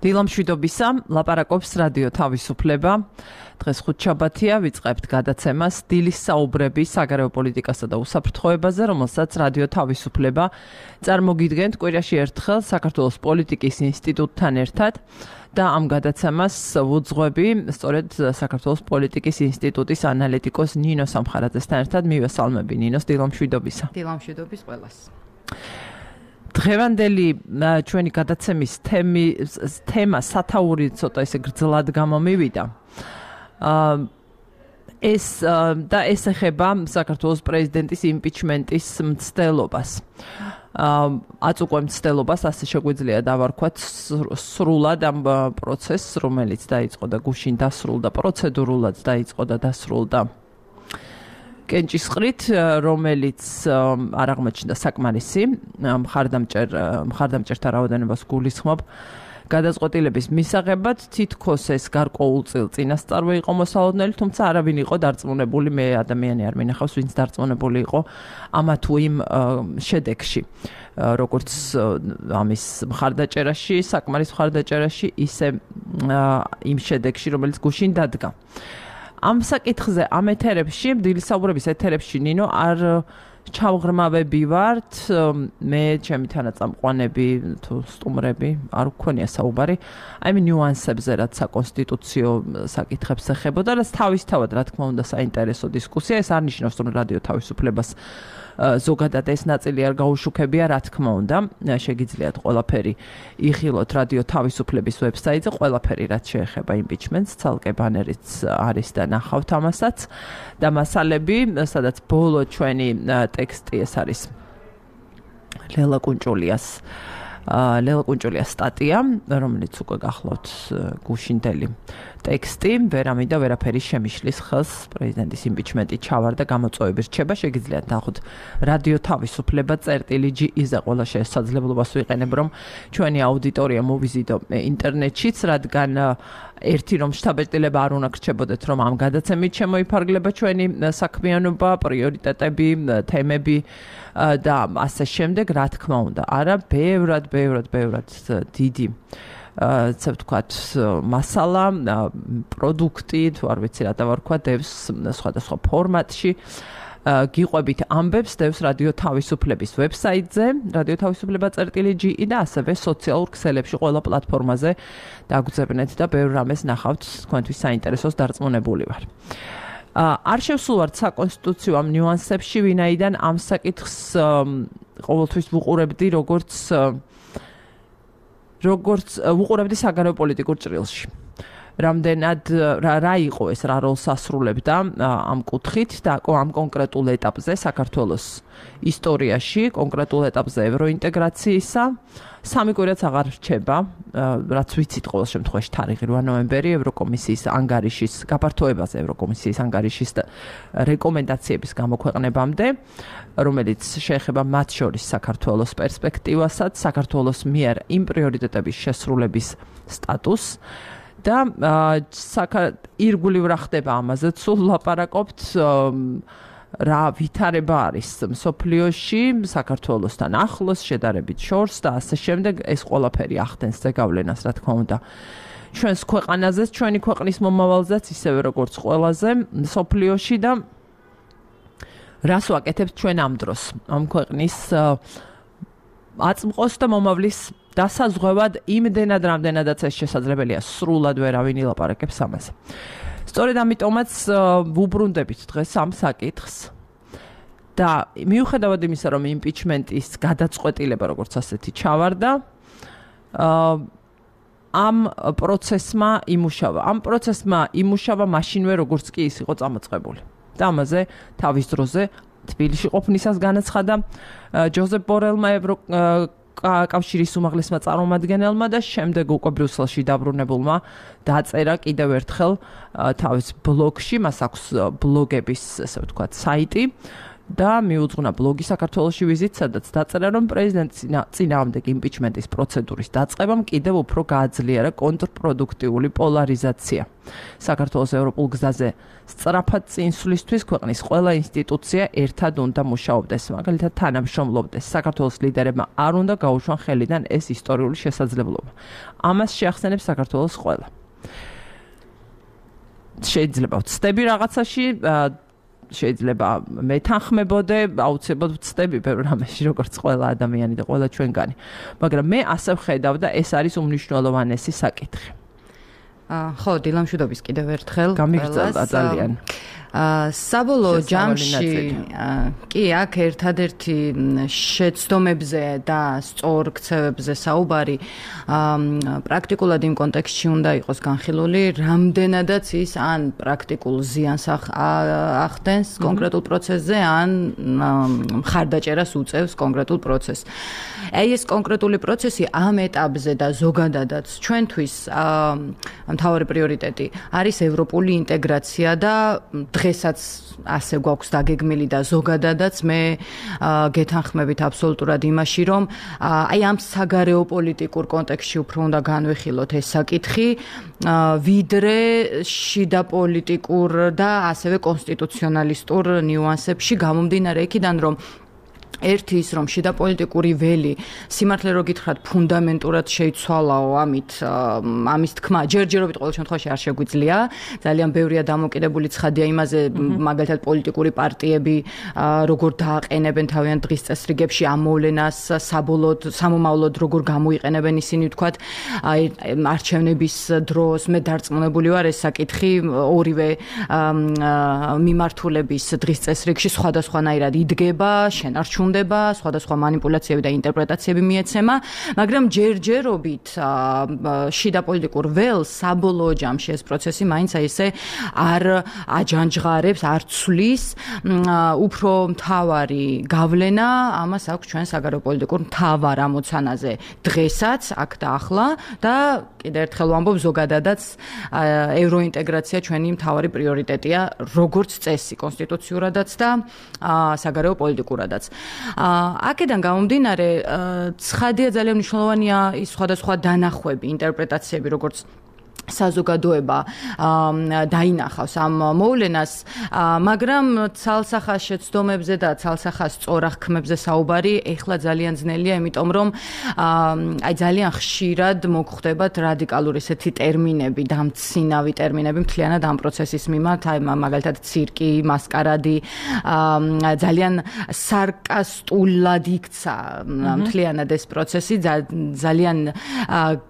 დილამშვიდობისა, ლაპარაკობს რადიო თავისუფლება. დღეს ხუთშაბათია, ვიწყებთ გადაცემას დილის საუბრები საგარეო პოლიტიკასა და უსაფრთხოებაზე, რომელსაც რადიო თავისუფლება წარმოგიდგენთ კვირაში ერთხელ საქართველოს პოლიტიკის ინსტიტუტთან ერთად და ამ გადაცემას ვუძღვები სწორედ საქართველოს პოლიტიკის ინსტიტუტის ანალიტიკოს ნინო სამხარაძესთან ერთად. მივესალმები ნინოს, დილამშვიდობისა. დილამშვიდობის ყველას. დღევანდელი ჩვენი გადაცემის თემა სათაური ცოტა ისე გრძლად გამომივიდა. ეს ეხება საქართველოს პრეზიდენტის იმპიჩმენტის მცდელობას. აწუყვე მცდელობას, ასე შეგვიძლია დავარქვათ სრულად ამ პროცესს, რომელიც დაიწყო და გუშინ დასრულდა, პროცედურულად დაიწყო და დასრულდა კენჭისყრით, რომელიც არ აღმოჩნდა საკმარისი, მხარდამჭერთა რაოდენობას გულისხმობ გადაწყვეტილების მისაღებად, თითქოს ეს გარკვეულწილ წინასწარვე იყო მოსალოდნელი, თუმცა არავინ იყო დარწმუნებული, მე ადამიანი არ მინახავს, ვინც დარწმუნებული იყო ამა თუ იმ შედეგში, როგორც ამის მხარდაჭერაში, საკმარის მხარდაჭერაში, ისე იმ შედეგში, რომელიც გუშინ დადგა. ამ საკითხზე, ამ ეთერებში, დილის საუბრების ეთერებში, ნინო, არ ჩავღრმავები ვართ, მე ჩემი თანაწამყვანები თუ სტუმრები არ გვქონია საუბარი, აი ნიუანსებზე, რაც საკონსტიტუციო საკითხებს ეხებოდა, რაც თავისთავად, რა თქმა უნდა, საინტერესო დისკუსია, ეს არ ნიშნავს, რომ რადიო თავისუფლებას ზოგადად ეს ნაწილი არ გაუშუქებია, რა თქმა უნდა, შეგიძლიათ ყველაფერი იხილოთ რადიო თავისუფლების ვებსაიტზე, ყველაფერი რაც შეეხება იმპიჩმენტს, ცალკე ბანერიც არის და ნახავთ ამასაც და მასალები, სადაც ბოლო ჩვენი ტექსტი ეს არის ლელა კუნჭულიას სტატია, რომელიც უკვე გახლავთ გუშინდელი ტექსტი, ვერამი და ვერაფერი შემიშლის ხელს პრეზიდენტის იმპიჩმენტი ჩავარდა გამოწვევები რჩება, შეგიძლიათ ნახოთ რადიო თავისუფლება წერტილი.gz-ზე ყველა შესაძლებლობას ვიყენებ, რომ ჩვენი აუდიტორია მოვიზიდო ინტერნეტშიც, რადგან ერთი რომ შთაბეჭდილება არ უნდა გრჩებოდეთ, რომ ამ გადაცემით შემოიფარგლება ჩვენი საქმიანობა, პრიორიტეტები, თემები და ასე შემდეგ, რა თქმა უნდა, არა, ბევრად დიდი ასე ვთქვათ, მასალა, პროდუქტი, თუ არ ვიცი რა დავარქვა, დევს სხვადასხვა ფორმატში. გიყვებით ამბებს დევს რადიო თავისუფლების ვებსაიტზე, რადიო თავისუფლება წერტილი.gz და ასევე სოციალურ ქსელებში ყველა პლატფორმაზე დაგძებნეთ და ბევრ რამეს ნახავთ, თქვენთვის საინტერესოს დარწმუნებული ვარ. არ შევსულვართ საკონსტიტუციო ამ ნიუანსებში, ვინაიდან ამ საკითხს ყოველთვის ვუყურებდი როგორც ვუყურებდი საგარეო პოლიტიკურ ჭრილში. რამდენად რა იყო ეს, რა როლს ასრულებდა ამ კუთხით და ამ კონკრეტულ ეტაპზე საქართველოს ისტორიაში, კონკრეტულ ეტაპზე ევროინტეგრაციისა. სამი კვირაც აღარ რჩება, რაც ვიცით ყოველ შემთხვევაში თარიღი 8 ნოემბერი ევროკომისიის ანგარიშის გაფართოებაზე, ევროკომისიის ანგარიშის რეკომენდაციების გამოქვეყნებამდე, რომელიც შეეხება მათ შორის საქართველოს პერსპექტივასაც, საქართველოს მიერ იმ პრიორიტეტების შესრულების სტატუსს და ირგვლივ რა ხდება ამაზეც სულ ლაპარაკობთ, რა ვითარება არის მსოფლიოში, საქართველოსთან ახლოს, შედარებით შორს და ასე შემდეგ, ეს ყველაფერი ახდენს ზეგავლენას, რა თქმა უნდა, ჩვენს ქვეყანაზეც, ჩვენი ქვეყნის მომავალზეც, ისევე როგორც ყველაზე მსოფლიოში და რას ვაკეთებთ ჩვენ ამ დროს, ამ ქვეყნის აწმყოს და მომავლის დასაზღვევად იმდენად, რამდენადაც ეს შესაძლებელია, სრულად ვერავინ ილაპარაკებს ამაზე. სწორედ ამიტომაც ვუბრუნდებით დღეს ამ საკითხს და მიუხედავად იმისა, რომ იმპიჩმენტის გადაწყვეტილება როგორც ასეთი ჩავარდა, ამ პროცესმა იმუშავა მაშინვე, როგორც კი ის იყო წამოწყებული. და ამაზე თავის დროზე თბილისში ყოფნისას განაცხადა ჯოზეფ ბორელმა კავშირის უმაღლესმა წარმომადგენელმა და შემდეგ უკვე ბრიუსელში დაბრუნებულმა დაწერა კიდევ ერთხელ თავის ბლოგში, მას აქვს ბლოგების, ასე ვთქვათ, საიტი და მიუძღვნა ბლოგი საქართველოში ვიზიტს, სადაც დაწერა, რომ პრეზიდენტის წინააღმდეგ იმპიჩმენტის პროცედურის დაწყებამ კიდევ უფრო გააძლიერა კონტრპროდუქტიული პოლარიზაცია. საქართველოს ევროპულ გზაზე სწრაფად წინსვლისთვის ქვეყნის ყველა ინსტიტუცია ერთად უნდა მუშაობდეს, მაგალითად თანამშრომლობდეს. საქართველოს ლიდერებმა არ უნდა გაუშვან ხელიდან ეს ისტორიული შესაძლებლობა. ამას შეახსენებს საქართველოს ყველა. შეიძლება ვცდები რაღაცაში, შეიძლება მეთანხმებოდე, აუცილებლად ვცდები ბევრ რამეში, როგორც ყველა ადამიანი და ყველა ჩვენგანი. მაგრამ მე ასე ვხედავ და ეს არის უმნიშვნელოვანესი საკითხი. ხო, დილამშვიდობის კიდევ ერთხელ. გამიგრძელდა ძალიან. საბოლოო ჯამში კი აქ ერთადერთი შეცდომებზე და სწორ ქცევებზე საუბარი პრაქტიკულად იმ კონტექსტში უნდა იყოს განხილული, რამდენადაც ის ან პრაქტიკულ ზიანს ახდენს კონკრეტულ პროცესზე, ან მხარდაჭერას უწევს კონკრეტულ პროცესს. აი ეს კონკრეტული პროცესი ამ ეტაპზე და ზოგადადაც ჩვენთვის მთავარი პრიორიტეტი არის ევროპული ინტეგრაცია და დღესაც ასე გვაქვს დაგეგმილი და ზოგადადაც მე გეთანხმებით აბსოლუტურად იმაში, რომ აი ამ საგარეო პოლიტიკურ კონტექსტში უფრო უნდა განვიხილოთ ეს საკითხი, ვიდრე შიდა პოლიტიკურ და ასევე კონსტიტუციონალისტურ ნიუანსებში გამომდინარე იქიდან, რომ ერთი ის რომ შიდა პოლიტიკური ველი სიმართლე რო გითხრათ ფუნდამენტურად შეიცვალაო ამის თქმა ჯერჯერობით ყოველ შემთხვევაში არ შეგვიძლია ძალიან ბევრია დამოკიდებული ცხადია იმაზე მაგალითად პოლიტიკური პარტიები როგორ დააყენებენ თავიანთ დღის წესრიგებში ამ მოვლენას საბოლოოდ სამომავლოდ როგორ გამოიყენებენ ისინი ვთქვათ არჩევნების დროს მე დარწმუნებული ვარ ეს საკითხი ორივე მიმართულების დღის წესრიგში სხვადასხვანაირად იდგება შენარჩუნდება სხვადასხვა манипуляციები და ინტერპრეტაციები მიეცემა, მაგრამ ჯერჯერობით შიდა პოლიტიკურ ველს საბოლოო ჯამში ეს პროცესი მაინც ესე არ აჯანჯღარებს, არ ცვლის, უფრო მთავარი გავლენა ამას აქვს ჩვენ საგარეო პოლიტიკურ მთავარ ამოცანაზე დღესაც, აქ და ახლა და კიდევ ერთხელ ვამბობ ზოგადადაც ევროინტეგრაცია ჩვენი მთავარი პრიორიტეტია, როგორც წესი კონსტიტუციურადაც და საგარეო პოლიტიკურადაც. აქედან გამომდინარე, ცხადია ძალიან მნიშვნელოვანია ის სხვადასხვა დანახვები, ინტერპრეტაციები, როგორც საზოგადოება დაინახავს ამ მოვლენას, მაგრამ ცალსახას შეცდომებზე და ცალსახას სწორაღქმებზე საუბარი ეხლა ძალიან ძნელია, იმიტომ რომ აი ძალიან ხშირად მოგხვდებათ რადიკალური ესეთი ტერმინები, დამცინავი ტერმინები მთლიანად ამ პროცესის მიმართ, აი მაგალითად ცირკი, მასკარადი, ძალიან სარკასტულად იქცა მთლიანად ეს პროცესი, ძალიან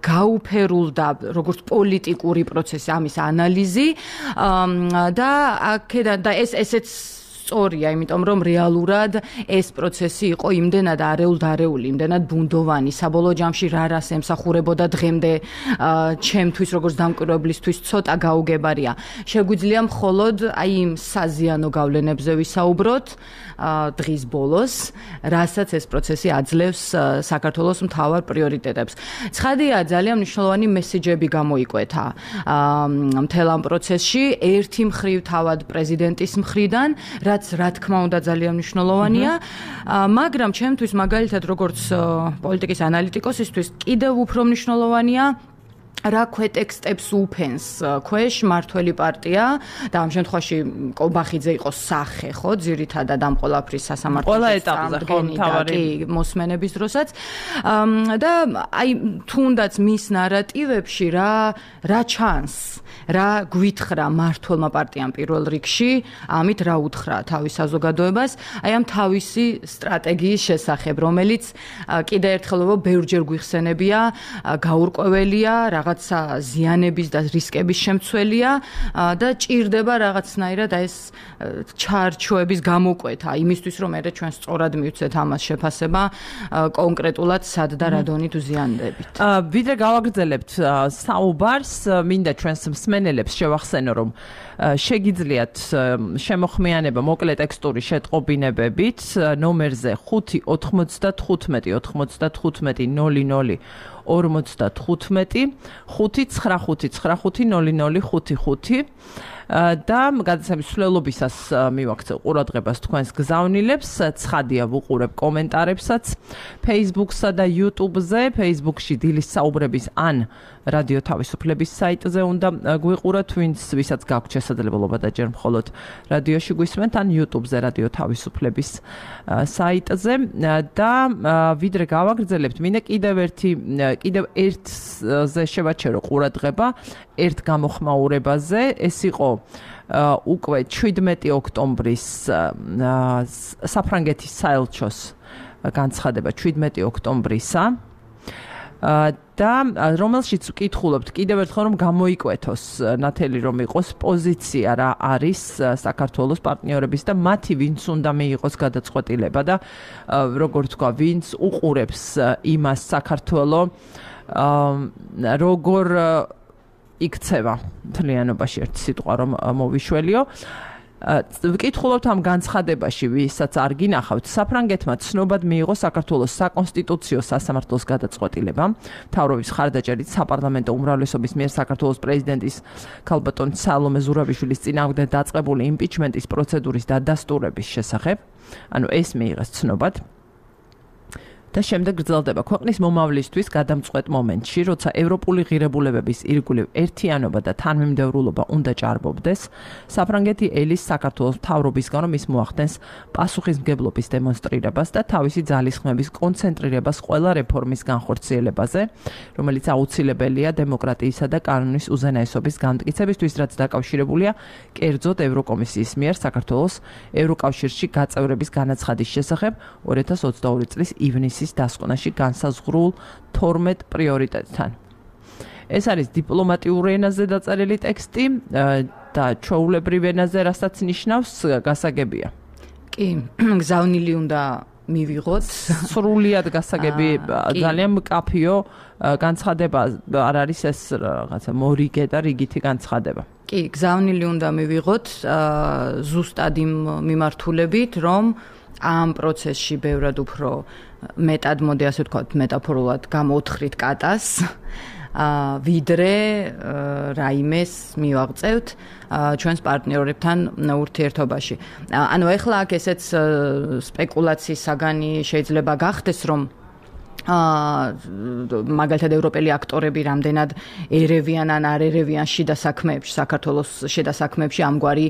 გაუფერულდა როგორც პოლიტიკური პროცესი ამის ანალიზი და აქედან და ესეც სწორია, იმიტომ რომ რეალურად ეს პროცესი იყო იმდენად არეულ-დარეული, იმდენად ბუნდოვანი, საბოლოო ჯამში რა რას ემსახურებოდა დღემდე ჩემთვის როგორც დამკვირვებლისთვის ცოტა გაუგებარია. შეგვიძლია მხოლოდ აი იმ საზიანო გავლენებზე ვისაუბროთ დღის ბოლოს, რასაც ეს პროცესი აძლევს საქართველოს მთავარ პრიორიტეტებს. ცხადია, ძალიან მნიშვნელოვანი მესეჯები გამოიკვეთა მთელ ამ პროცესში, ერთი მხრივ თავად პრეზიდენტის მხრიდან, რაც რა თქმა უნდა ძალიან მნიშვნელოვანია, მაგრამ ჩემთვის მაგალითად როგორც პოლიტიკის ანალიტიკოსისთვის კიდევ უფრო მნიშვნელოვანია რა ქვეტექსტებს უფენს ქვეშ მართველი პარტია და ამ შემთხვევაში კობახიძე იყო სახე, ხო, ძირითადად ამ ყველაფრის სასამართლო თავარი მოსმენების დროსაც და აი თუნდაც მის ნარატივებში რა ჩანს, რა გვითხრა მართლმა პარტიამ პირველ რიგში, ამით რა უთხრა თავის საზოგადოებას, აი ამ თავისი სტრატეგიის შესახებ, რომელიც კიდევ ერთხელ ბევრჯერ გვიხსენებია, გაურკვეველია, რაღაცა ზიანების და რისკების შემცველია და ჭირდება რაღაცნაირად ეს ჩარჩოების გამოკვეთა იმისთვის რომ მე ჩვენ სწორად მივცეთ ამას შეფასება კონკრეტულად სად და რა დონით უზიანდებით. ვიდრე გავაგრძელებთ საუბარს, მინდა ჩვენს მსმენელებს შევახსენო რომ შეგიძლიათ შემოხმიანება მოკლე ტექსტური შეტყობინებებით ნომერზე 5 95 95 00 55 595 00 55. და გადაცემის მსვლელობისას მივაქცევ ყურადღებას თქვენს გზავნილებს, ცხადია ვუყურებ კომენტარებსაც Facebook-სა და YouTube-ზე, Facebook-ში დილის საუბრების ან რადიო თავისუფლების საიტზე უნდა გვიყუროთ, ვისაც გაქვთ შესაძლებლობა და ჯერ მხოლოდ რადიოში გვისმენთ ან YouTube-ზე რადიო თავისუფლების საიტზე და ვიდრე გავაგრძელებთ, მინდა კიდევ ერთზე შევაჩერო ყურადღება ერთ გამოხმაურებაზე, ეს იყო უკვე 17 ოქტომბრის საფრანგეთის საელჩოს განცხადება 17 ოქტომბრისა და რომელშიც ვკითხულობთ კიდევ ერთხელ რომ გამოიკვეთოს ნათელი რომ იყოს პოზიცია რა არის საქართველოს პარტნიორების და მათი ვინც უნდა მიიღოს გადაწყვეტილება და როგორ თქვა ვინც უყურებს იმას საქართველოს როგორ იქცევა მთლიანობაში ერთ სიტყვა რომ მოვიშველიო ვკითხულობთ ამ განცხადებაში ვისაც არ გინახავთ საფრანგეთმა ცნობად მიიღო საქართველოს საკონსტიტუციო სასამართლოს გადაწყვეტილება მთავრობის ხარდაჭერით საპარლამენტო უმრავლესობის მიერ საქართველოს პრეზიდენტის ქალბატონ სალომე ზურაბიშვილის წინააღმდეგ დაწყებული იმპიჩმენტის პროცედურის დადასტურების შესახებ ანუ ეს მიიღეს ცნობად და შემდეგ გრძელდება ქვეყნის მომავლისთვის გადამწყვეტ მომენტში, როცა ევროპული ღირებულებების ირგვლივ ერთიანობა და თანმიმდევრულობა უნდა ჭარბობდეს, საფრანგეთი ელის საქართველოს მთავრობისგან რომ ის მოახდენს პასუხისმგებლობის დემონსტრირებას და თავისი ძალისხმების კონცენტრირებას ყველა რეფორმის განხორციელებაზე, რომელიც აუცილებელია დემოკრატიისა და კანონის უზენაესობის განმტკიცებისთვის, რაც დაკავშირებულია კერძოდ ევროკომისიის მიერ საქართველოს ევროკავშირში გაწევრების განაცხადის შესახებ 2022 წლის ივნისის დასკვნაში განსაზღვრულ 12 პრიორიტეტთან. ეს არის დიპლომატიურ ენაზე დაწერილი ტექსტი და ჩვეულებრივ ენაზე, რასაც ნიშნავს გასაგებია. კი, გზავნილი უნდა მივიღოთ. სრულიად გასაგები ძალიან მკაფიო განცხადება არ არის ეს რაღაცა მორიგე და რიგითი განცხადება. კი, გზავნილი უნდა მივიღოთ ზუსტად იმ მიმართულებით, რომ ამ პროცესში ბევრად უფრო მეტად მოდი ასე ვთქვათ მეტაფორულად გამოთხრით კატას ვიდრე რაიმეს მივაღწევთ ჩვენს პარტნიორებთან ურთიერთობაში. ანუ ეხლა აქ ესეც სპეკულაციის საგანი შეიძლება გახდეს, რომ მაგალითად ევროპელი აქტორები რამდენად ერევიან ან არ ერევიან შიდა საქმეებში, საქართველოს შიდა საქმეებში ამგვარი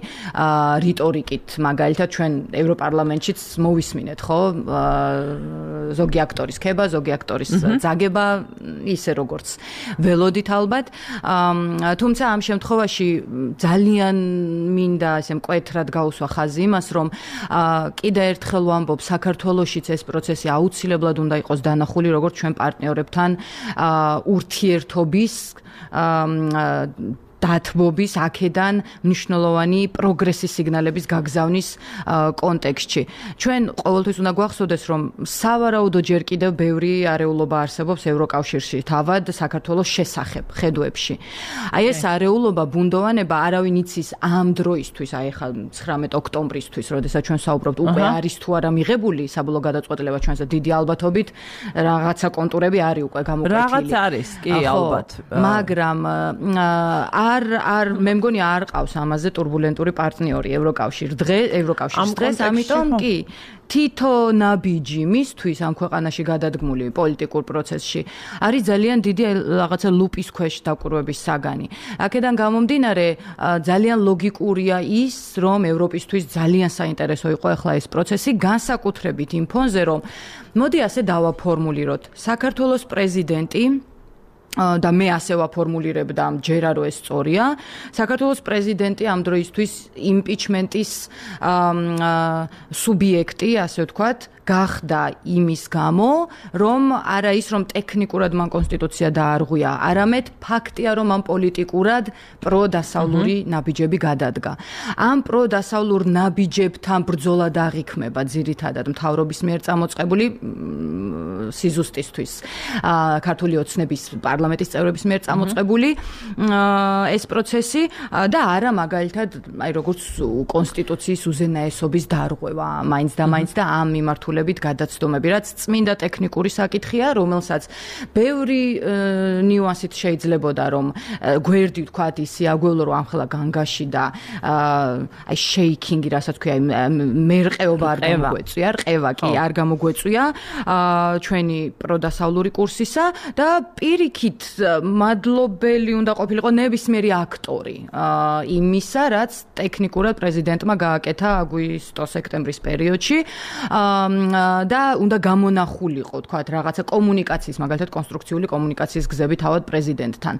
რიტორიკით, მაგალითად ჩვენ ევროპარლამენტშიც მოვისმინეთ, ხო? ზოგი აქტორის ქება, ზოგი აქტორის ძაგება, ისე როგორც ველოდით ალბათ. თუმცა ამ შემთხვევაში ძალიან მინდა ესე მკვეთრად გაუსვა ხაზი იმას, რომ კიდევ ერთხელ ვამბობ, საქართველოშიც ეს პროცესი აუცილებლად უნდა იყოს დანახული როგორც ჩვენ პარტნიორებთან ურთიერთობის დათბობის აქედან მნიშვნელოვანი პროგრესის სიგნალების გაგზავნის კონტექსტში. ჩვენ ყოველთვის უნდა გვახსოვდეს, რომ სავარაუდო ჯერ კიდევ ბევრი არეულობა არსებობს ევროკავშირში, თავად საქართველოს შესახებ ხედვებში. აი ეს არეულობა, ბუნდოვანება არავინ იცის ამ დროისთვის, აი ხა 19 ოქტომბრისთვის, როდესაც ჩვენ საუბრობთ, უკვე არის თუ არა მიღებული საბოლოო გადაწყვეტილება ჩვენზე დიდი ალბათობით, რაღაცა კონტურები არის უკვე გამოკვეთილი. რაღაც არის, კი, ალბათ. მაგრამ არ მე მგონი არ ყავს ამაზე турბულენტური პარტნიორი ევროკავშირს დღეს, ამიტომ კი თითო ნაბიჯი მისთვის ამ ქვეყანაში გადადგმული პოლიტიკურ პროცესში არის ძალიან დიდი რაღაცა ლუპის ქვეშ დაკვირვების საგანი. აქედან გამომდინარე ძალიან ლოგიკურია ის, რომ ევროპისთვის ძალიან საინტერესო იყო ახლა ეს პროცესი, განსაკუთრებით იმ ფონზე, რომ მოდი ასე დავაფორმულიროთ. საქართველოს პრეზიდენტი და მე ასე ვაფორმულირებ და მჯერა რომ ეს სწორია. საქართველოს პრეზიდენტი ამ დროისთვის იმპიჩმენტის სუბიექტი, ასე ვთქვათ, გახდა იმის გამო, რომ არა ის რომ ტექნიკურად მან კონსტიტუცია დაარღვია, არამედ ფაქტია რომ ამ პოლიტიკურად პროდასავლური ნაბიჯები გადადგა. ამ პროდასავლურ ნაბიჯებთან ბრძოლა დააღიქმება ძირითადად მთავრობის მიერ წამოწყებული სიზუსტისთვის ქართული ოცნების პარლამენტის წევრების მიერ წამოწყებული ეს პროცესი და არა მაგალითად აი როგორც კონსტიტუციის უზენაესობის დარღვევა მაინც და ამ მიმართულებით გადაცდომები, რაც წმინდა ტექნიკური საკითხია, რომელსაც ბევრი ნიუანსით შეიძლებოდა რომ გვერდი ვთქვათ ის სიაგველო რომ ამხელა განგაში და აი შეიქინგი რასაც ქვია მერყეობა არ გამოგვეწვია, რყევა კი არ გამოგვეწვია ჩვენი პროდასავლური კურსისა და პირიქით მადლობელი უნდა ყოფილიყო ნებისმიერი აქტორი იმისა, რაც ტექნიკურად პრეზიდენტმა გააკეთა აგვისტო-სექტემბრის პერიოდში და უნდა გამონახულიყო, თქვათ, რაღაცა კომუნიკაციის, მაგალითად კონსტრუქციული კომუნიკაციის გზები თავად პრეზიდენტთან.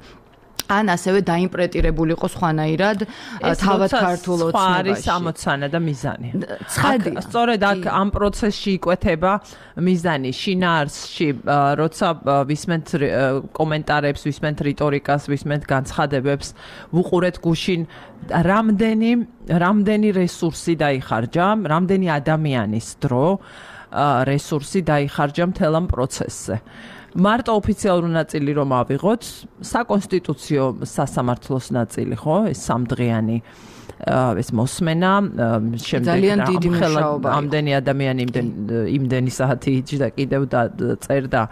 ან ასევე დაიმპრეტირებულიყო სხვანაირად თავად ქართულ ოცნებაში. არის ამოცანა და მიზანი. სწორედ აქ ამ პროცესში იკვეთება მიზანი შინაარსში, როცა ვისმენთ კომენტარებს, ვისმენთ რიტორიკას, ვისმენთ განცხადებებს, ვუყურეთ გუშინ რამდენი რესურსი დაიხარჯა, რამდენი ადამიანის დრო რესურსი დაიხარჯა მთელ ამ პროცესზე. მარტო ოფიციალური ნაწილი რომ ავიღოთ, საკონსტიტუციო სასამართლოს ნაწილი, ხო, ეს სამდღიანი ეს მოსმენა, ძალიან დიდი მუშაობა. ამდენი ადამიანი იმდენი საათი იჯდა კიდევ და წერდა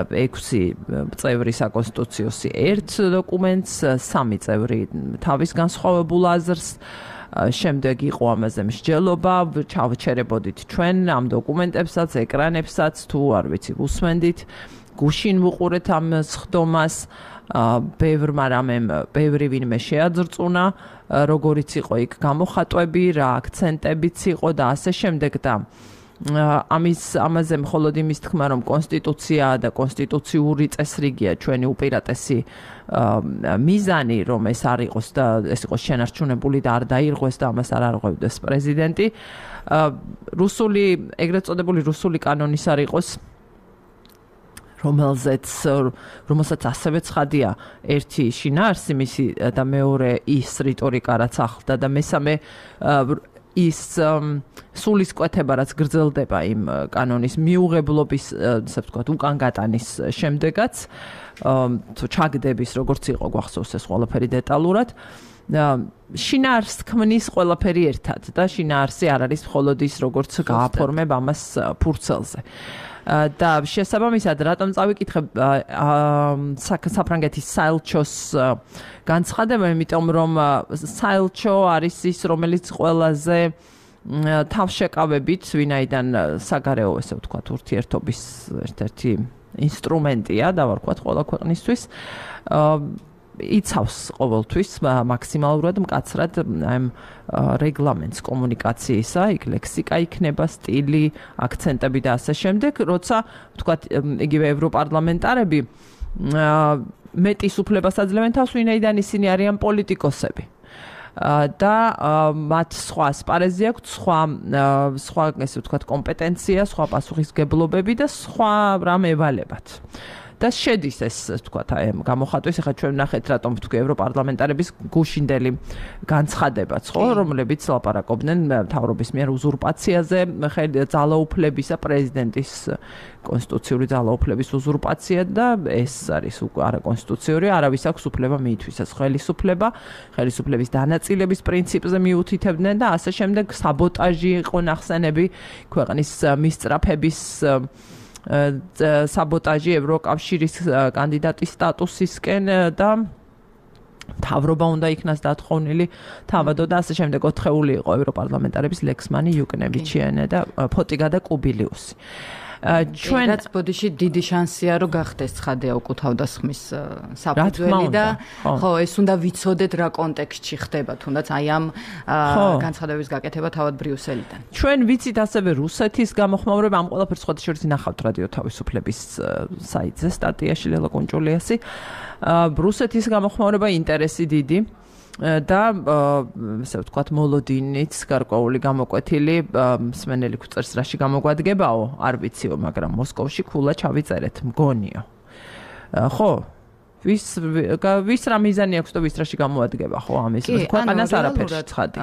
6 წევრი საკონსტიტუციოსი ერთ დოკუმენტს, 3 წევრი თავის განსხვავებულ აზრს. შემდეგ იყო ამაზე მსჯელობა, ჩავჩერებოდით ჩვენ ამ დოკუმენტებსაც, ეკრანებსაც, თუ არ ვიცი, უსმენდით. გუშინ ვუყურეთ ამ სხდომას, ბევრი ვინმე შეაძრწუნა, როგორიც იყო იქ გამოხატვები, რა აქცენტებიც იყო და ასე შემდეგ და ამაზე მხოლოდ იმის თქმა, რომ კონსტიტუცია და კონსტიტუციური წესრიგია ჩვენი უპირატესი მიზანი, რომ ეს არ იყოს და ეს იყოს შენარჩუნებული და არ დაირღვეს და ამას არ არღვევდეს პრეზიდენტი. ეგრეთ წოდებული რუსული კანონის არ იყოს რომელსაც ასევე ცხადია ერთი შინაარსი მისი და მეორე ის რიტორიკა რაც ახლდა და მესამე ის სულისკვეთება რაც გრძელდება იმ კანონის მიუღებლობის, ასე ვთქვათ, უკან გატანის შემდეგაც, თუ ჩაგდების როგორც იყო გვახსოვს ეს ყველაფერი დეტალურად. შინაარსს ქმნის ყველაფერი ერთად და შინაარსი არ არის მხოლოდ ის როგორც გააფორმებ ამას ფურცელზე. და შესაბამისად რატომ წავიკითხებ საფრანგეთის საელჩოს განცხადება, იმიტომ რომ საელჩო არის ის, რომელიც ყველაზე თავშეკავებით, ვინაიდან საგარეო, ესე ვთქვათ, ურთიერთობის ერთ-ერთი ინსტრუმენტია, დავარქვათ ყველა ქვეყნისთვის. იცავს ყოველთვის მაქსიმალურად მკაცრად ამ რეგლამენტს კომუნიკაციისა, იქ ლექსიკა იქნება, სტილი, აქცენტები და ასე შემდეგ, როცა ვთქვათ, იგივე ევროპარლამენტარები მეტის უფლებას აძლევენ თავს, ვინაიდან ისინი არიან პოლიტიკოსები. და მათ სხვა ასპარეზი აქვთ, სხვა ესე ვთქვათ, კომპეტენცია, სხვა პასუხისგებლობები და სხვა რამ ევალებათ. და შედის ეს ვთქვათ აი გამოხატვის, ახლა ჩვენ ვნახეთ რატომ ვთქვი ევროპარლამენტარების გუშინდელი განცხადებაც, ხო, რომლებიც ლაპარაკობდნენ მთავრობის მიერ უზურპაციაზე, ძალაუფლებისა, პრეზიდენტის კონსტიტუციური ძალაუფლების უზურპაცია და ეს არის არაკონსტიტუციური, არავის აქვს უფლება მიითვისოს ხელისუფლების დანაწილების პრინციპზე მიუთითებდნენ და ასე შემდეგ საბოტაჟი იყო ნახსენები ქვეყნის მისწრაფების საბოტაჟი ევროკავშირის კანდიდატის სტატუსისკენ და მთავრობა უნდა იქნას დათხოვნილი თავადო და ასე შემდეგ. 4 იყო ევროპარლამენტარების ლექსმანი, იუკნევიჩიანე და ფოტიგა და კუბილიუსი. ჩვენაც ბოდიში დიდი შანსია რომ გახდეს ცხადია უკუთავდასხმის საფუძველი და ხო ეს უნდა ვიცოდეთ რა კონტექსტში ხდება თუნდაც აი ამ განცხადების გაკეთება თავად ბრიუსელიდან. ჩვენ ვიცით ასევე რუსეთის გამოხმაურება, ამ ყველაფერს სხვა შორის ნახავთ რადიო თავისუფლების საიტზე სტატიაში ლელა კონჭულიასი. რუსეთის გამოხმაურება ინტერესი დიდი და ასე ვთქვათ მოლოდინიც გარკვეული გამოკვეთილი მსმენელი გვწერს რაში გამოგვადგებაო არ ვიციო, მაგრამ მოსკოვში ქულა ჩავიწერეთ მგონიო. ხო ვის რა მიზანი აქვს და ვის რაში გამოადგება ხო ამის ქვეყანას არაფერში ცხადი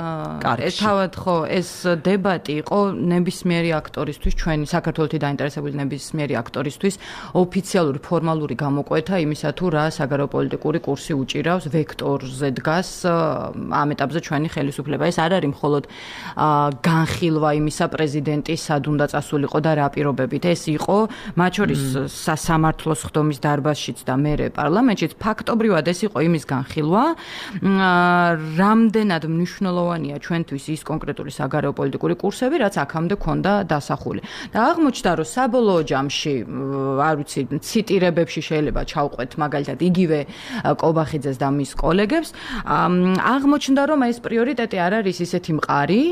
კარგში თავად ხო ეს დებატი იყო ნებისმიერი აქტორისთვის ჩვენი საქართველოსი დაინტერესებული ნებისმიერი აქტორისთვის ოფიციალური ფორმალური გამოკვეთა იმისა თუ რა საგარეო პოლიტიკური კურსი უჭირავს ვექტორზე დგას ამ ეტაპზე ჩვენი ხელისუფლება ეს არ არის მხოლოდ განხილვა იმისა პრეზიდენტის სად უნდა წასულიყო და რა პირობებით ეს იყო მათ შორის სასამართლოს ხდომის დარბაზშიც და მერე პარლამენტშიც ფაქტობრივად ეს იყო იმის განხილვა რამდენად მნიშვნელოვანია ჩვენთვის ის კონკრეტული საგარეო პოლიტიკური კურსები რაც აქამდე ქონდა დასახული და აღმოჩნდა რომ საბოლოო ჯამში არ ვიცი ციტირებებში შეიძლება ჩავყვეთ მაგალითად იგივე კობახიძეს და მის კოლეგებს აღმოჩნდა რომ ეს პრიორიტეტი არ არის ისეთი მყარი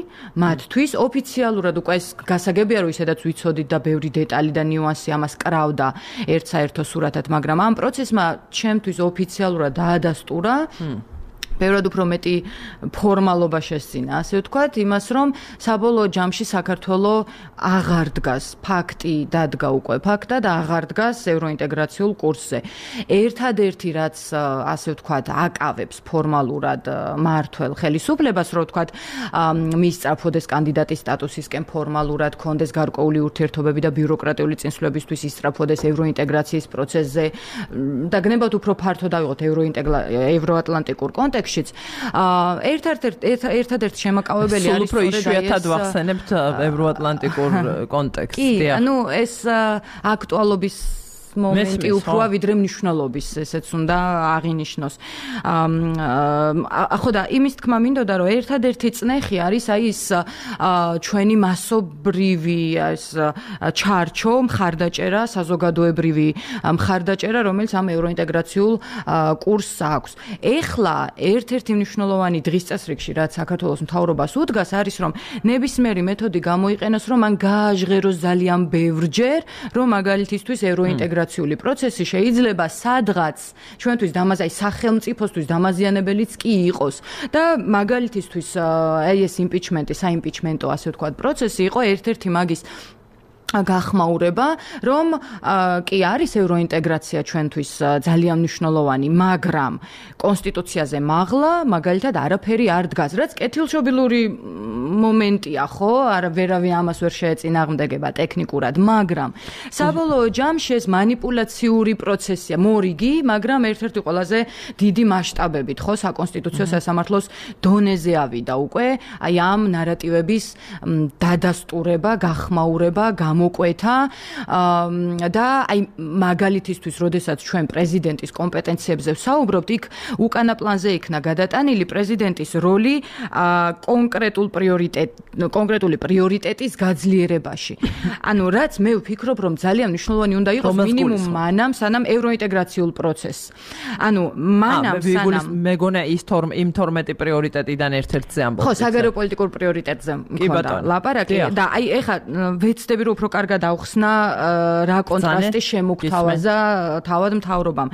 მათთვის ოფიციალურად უკვე ეს გასაგებია რომ ისედაც ვიცოდით და ბევრი დეტალი და ნიუანსი ამას კრავდა ერთ-საერთო სურათად მაგრამ ამ პროცესმა ჩემთვის ოფიციალურად დაადასტურა ბევრად უფრო მეტი ფორმალობა შესძინა, ასე ვთქვათ, იმას რომ საბოლოო ჯამში საქართველოს აღარ დგას ფაქტი დადგა უკვე ფაქტად აღარ დგას ევროინტეგრაციულ კურსზე. ერთადერთი რაც ასე ვთქვათ აკავებს ფორმალურად მართველ ხელისუფლებას, რომ ვთქვათ მისწრაფოდეს კანდიდატის სტატუსისკენ ფორმალურად კონდეს გარკვეული ურთიერთობები და ბიუროკრატიული წინსვლებისთვის ისწრაფოდეს ევროინტეგრაციის პროცესზე და გნებავთ უფრო ფართოდ ავიღოთ ევროატლანტიკურ კონტექსტში ერთადერთი შემაკავებელი არის უფრო იშვიათად ვახსენებთ ევროატლანტიკურ კონტექსტს. კი, ანუ ეს აქტუალობის მომენტი უფროა ვიდრე მნიშვნელობის, ესეც უნდა აღინიშნოს. ხო და იმის თქმა მინდოდა, რომ ერთადერთი წნეხი არის აი ის ჩვენი მასობრივი ეს ჩარჩო, მხარდაჭერა, საზოგადოებრივი მხარდაჭერა, რომელიც ამ ევროინტეგრაციულ კურსს აქვს. ეხლა ერთ-ერთი მნიშვნელოვანი დღის წესრიგში, რაც საქართველოს მთავრობას უდგას, არის რომ ნებისმიერი მეთოდი გამოიყენოს, რომ მან გააჟღეროს ძალიან ბევრჯერ, რომ მაგალითისთვის ევროინტეგრაციული პროცესი შეიძლება სადღაც ჩვენთვის აი სახელმწიფოსთვის დამაზიანებელიც კი იყოს და მაგალითისთვის აი ეს იმპიჩმენტი, საიმპიჩმენტო ასე ვთქვათ პროცესი იყო ერთ-ერთი მაგის გახმაურება, რომ კი არის ევროინტეგრაცია ჩვენთვის ძალიან მნიშვნელოვანი, მაგრამ კონსტიტუციაზე მაღლა მაგალითად არაფერი არ დგას, რაც კეთილშობილური მომენტია, ხო? ვერავინ ამას ვერ შეეწინააღმდეგება ტექნიკურად, მაგრამ საბოლოო ჯამში ეს манипуляციური პროცესია, მორიგი, მაგრამ ერთ-ერთი ყველაზე დიდი მასშტაბებით, ხო, საკონსტიტუციო სასამართლოს დონეზე ავიდა უკვე, აი ამ ნარატივების დადასტურება, გახმაურება, მოკვეთა და აი მაგალითისთვის, როდესაც ჩვენ პრეზიდენტის კომპეტენციებზე ვსაუბრობთ, იქ უკანა პლანზე იქნა გადატანილი პრეზიდენტის როლი კონკრეტული პრიორიტეტის გაძლიერებაში. ანუ რაც მე ვფიქრობ, რომ ძალიან მნიშვნელოვანი უნდა იყოს მინიმუმ მანამ, სანამ ევროინტეგრაციულ პროცესს. ანუ მანამ სანამ მეგონა ის იმ 12 პრიორიტეტიდან ერთ-ერთზე ამბობთ. ხო, საგარეო პოლიტიკურ პრიორიტეტზე მქონდა ლაპარაკი და აი ეხა ვეცდები რომ უფრო კარგად ავხსნა რა კონტრასტი შემოგთავაზა თავად მთავრობამ.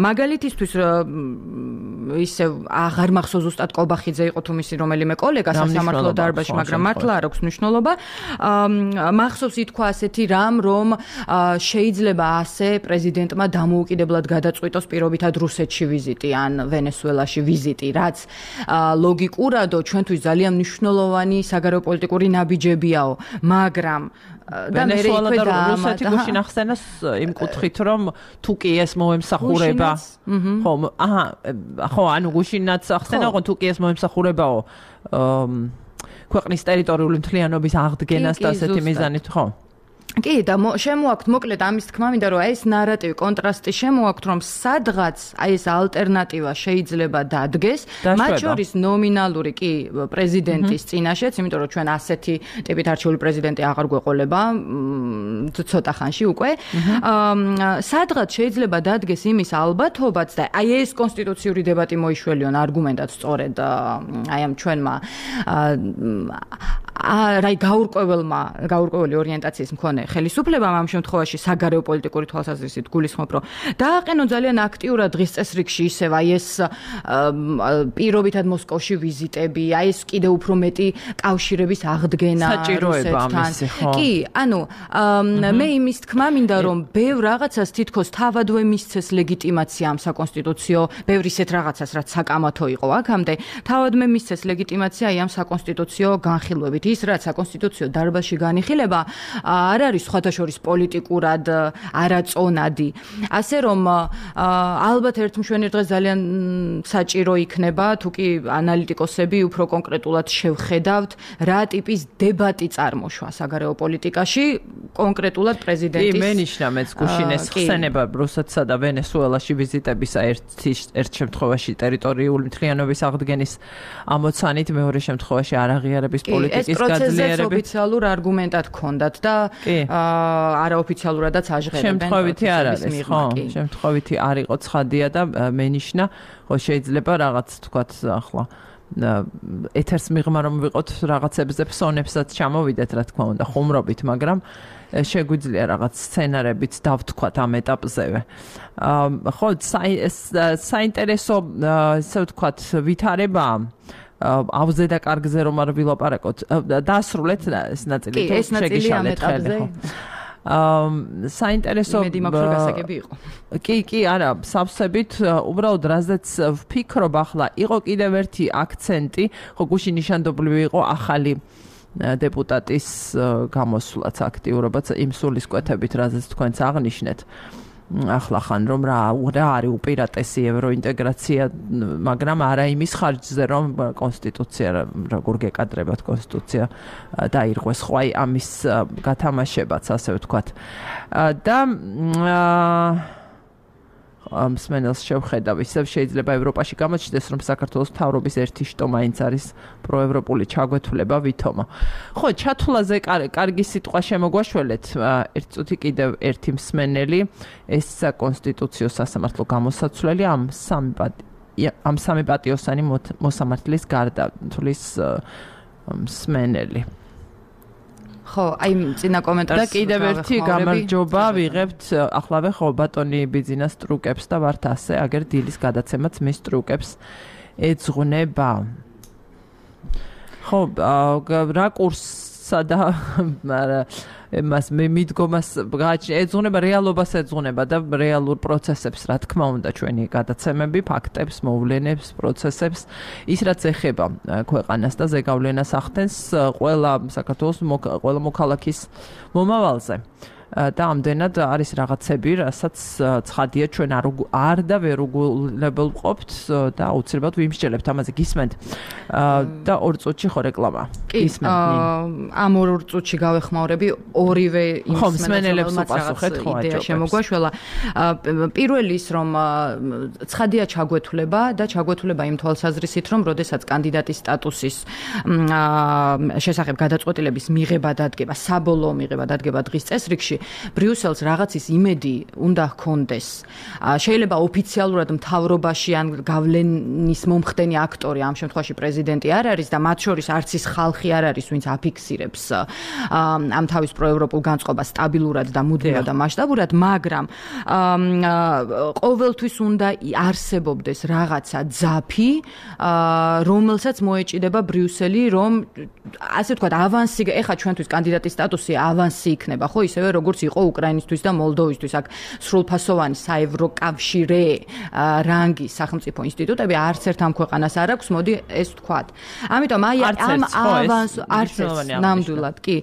მაგალითისთვის ისე აღარ მახსოვს ზუსტად კობახიძე იყო თუ მისი რომელიმე კოლეგა სასამართლო დარბაზში, მაგრამ მართლა არ აქვს მნიშვნელობა. მახსოვს ითქვა ასეთი რამ, რომ შეიძლება ასე პრეზიდენტმა დამოუკიდებლად გადაწყვიტოს პირობითად რუსეთში ვიზიტი ან ვენესუელაში ვიზიტი, რაც ლოგიკურადო ჩვენთვის ძალიან მნიშვნელოვანი საგარეო პოლიტიკური ნაბიჯებიაო, მაგრამ და მე ვენესუელა და რუსეთი გუშინ ახსენეს იმ კუთხით, რომ თუ კი ეს მოემსახურება, ხო, ანუ გუშინაც ახსენა, რომ თუ კი ეს მოემსახურებაო ქვეყნის ტერიტორიული მთლიანობის აღდგენას და ასეთი მიზანით, ხო? კი და შემოაქვთ მოკლედ ამის თქმა მინდა რომ ეს ნარატივი კონტრასტი შემოაქვთ რომ სადღაც აი ეს ალტერნატივა შეიძლება დადგეს მათ შორის ნომინალური კი პრეზიდენტის წინაშეც იმიტომ რომ ჩვენ ასეთი ტიპით არჩეული პრეზიდენტი აღარ გვეყოლება ცოტა ხანში უკვე სადღაც შეიძლება დადგეს იმის ალბათობაც და აი ეს კონსტიტუციური დებატი მოიშველიონ არგუმენტად სწორედ აი ამ ჩვენმა რაი გაურკვეველი ორიენტაციის მქონე ხელისუფლებამ ამ შემთხვევაში საგარეო პოლიტიკური თვალსაზრისით გულისხმობ, რომ დააყენონ ძალიან აქტიურად დღის წესრიგში ისევ აი ეს პირობითად მოსკოვში ვიზიტები, აი ეს კიდევ უფრო მეტი კავშირების აღდგენა რუსეთთან. კი, ანუ მე იმის თქმა მინდა, რომ ბევრ რაღაცას თითქოს თავადვე მისცეს ლეგიტიმაცია ამ საკონსტიტუციო, ბევრ ისეთ რაღაცას, რაც საკამათო იყო აქამდე, თავადვე მისცეს ლეგიტიმაცია აი ამ საკონსტიტუციო განხილვებით. ის რაც საკონსტიტუციო დარბაზში განიხილება არ არის სხვადასხვა პოლიტიკურად არაწონადი. ასე რომ ალბათ ერთმშვენი დღეს ძალიან საჭირო იქნება, თუ კი ანალიტიკოსები უფრო კონკრეტულად შევხედავთ, რა ტიპის დებატი წარმოშვა საგარეო პოლიტიკაში, კონკრეტულად პრეზიდენტის. კი, მენიშნა მეც გუშინეს ხსენება რუსეთსა და ვენესუელაში ვიზიტებისა ერთ შემთხვევაში ტერიტორიული მთლიანობის აღდგენის ამოცანით, მეორე შემთხვევაში არაღიარების პოლიტიკის პროცესს ოფიციალურ არგუმენტად ჰქონდათ და არაოფიციალურადაც აჟღერებენ. შემთხვევითი არ არის, ხო? შემთხვევითი არ იყო ცხადია და მენიშნა, ხო შეიძლება რაღაც თქვათ ახლა ეთერს მიღმა რომ ვიყოთ რაღაცებზე ფსონებსაც ჩამოვიდეთ, რა თქმა უნდა, ხუმრობით, მაგრამ შეგვიძლია რაღაც სცენარებიც დავთქვათ ამ ეტაპზევე. ხო, საინტერესო ისე ვთქვათ ვითარებაა ავზე და კარგზე რომ არ ვილაპარაკოთ. დაასრულეთ ეს ნაწილი თუ შეგიშალეთ ხელი, ხო? საინტერესო გასაგები იყო. კი, არა, სავსებით, უბრალოდ რაზეც ვფიქრობ ახლა, იყო კიდევ ერთი აქცენტი, ხო, გუშინ ნიშანდობლივი იყო ახალი დეპუტატის გამოსვლაც, აქტიურობაც იმ სულისკვეთებით, რაზეც თქვენც აღნიშნეთ. ახლა ხან რომ რა არის უპირატესი ევროინტეგრაცია, მაგრამ არა იმის ხარჯზე, რომ კონსტიტუცია როგორ გეკადრებათ კონსტიტუცია დაირღვეს, ხო აი ამის გათამაშებაც, ასე ვთქვათ. და მსმენელს შევხედავ, ისევ შეიძლება ევროპაში გამოჩნდეს, რომ საქართველოს მთავრობის ერთი შტო მაინც არის პროევროპული ჩაგვეთვლება ვითომო. ხო, ჩათვლაზე კარგი სიტყვა შემოგვაშველეთ. ერთ წუთი კიდევ ერთი მსმენელი, ეს საკონსტიტუციო სასამართლო გამოსაცვლელი ამ სამი პატიოსანი მოსამართლის გარდა თulis მსმენელი. ხო, აი წინა კომენტარს და კიდევ ერთი გამარჯობა ვიღებთ ახლავე ხო ბატონი ბიძინას ტრუკებს და ვართ ასე აგერ დილის გადაცემაც მის ტრუკებს ეძღვნება. ხო, რაკურსსა და მას მე მიდგომას ეძღვნება, რეალობას ეძღვნება და რეალურ პროცესებს, რა თქმა უნდა, ჩვენი გადაცემები, ფაქტებს, მოვლენებს, პროცესებს, ის რაც ეხება ქვეყანას და ზეგავლენას ახდენს ყველა საქართველოს ყველა მოქალაქის მომავალზე. და ამდენად არის რაღაცები, რასაც ცხადია ჩვენ არ და ვერ უგულებელ ვყოფთ და აუცილებლად ვიმსჯელებთ ამაზე. გისმენთ? და 2 წუთში ხო რეკლამა. გისმენთ? ამ 2 წუთში გავეხმაურები ორივე მსმენელებს უპასუხეთ, ხო, იდეა შემოგვაშველა. პირველი ის, რომ ცხადია ჩაგვეთვლება და ჩაგვეთვლება იმ თვალსაზრისით, რომ როდესაც კანდიდატის სტატუსის შესახებ გადაწყვეტილების მიღება დადგება, საბოლოო მიღება დადგება დღის წესრიგში, ბრიუსელს რაღაცის იმედი უნდა ჰქონდეს. შეიძლება ოფიციალურად მთავრობაში ან გავლენის მომხდენი აქტორი, ამ შემთხვევაში პრეზიდენტი არ არის და მათ შორის არც ის ხალხი არ არის, ვინც აფიქსირებს ამ თავის პროევროპულ განწყობას სტაბილურად და მუდმივად და მასშტაბურად, მაგრამ ყოველთვის უნდა არსებობდეს რაღაცა ძაფი, რომელსაც მოეჭიდება ბრიუსელი, რომ ასე ვთქვათ, ავანსი, ეხლა ჩვენთვის კანდიდატის სტატუსი ავანსი იქნება, ხო, ისევე როგორც იყო უკრაინისთვის და მოლდოვისთვის, აქ სრულფასოვანი საევროკავშირე რანგის სახელმწიფო ინსტიტუტები არც ერთ ამ ქვეყანას არ აქვს, მოდი ეს ვთქვათ. ამიტომ აი ამ ავანს არც ნამდვილად, კი.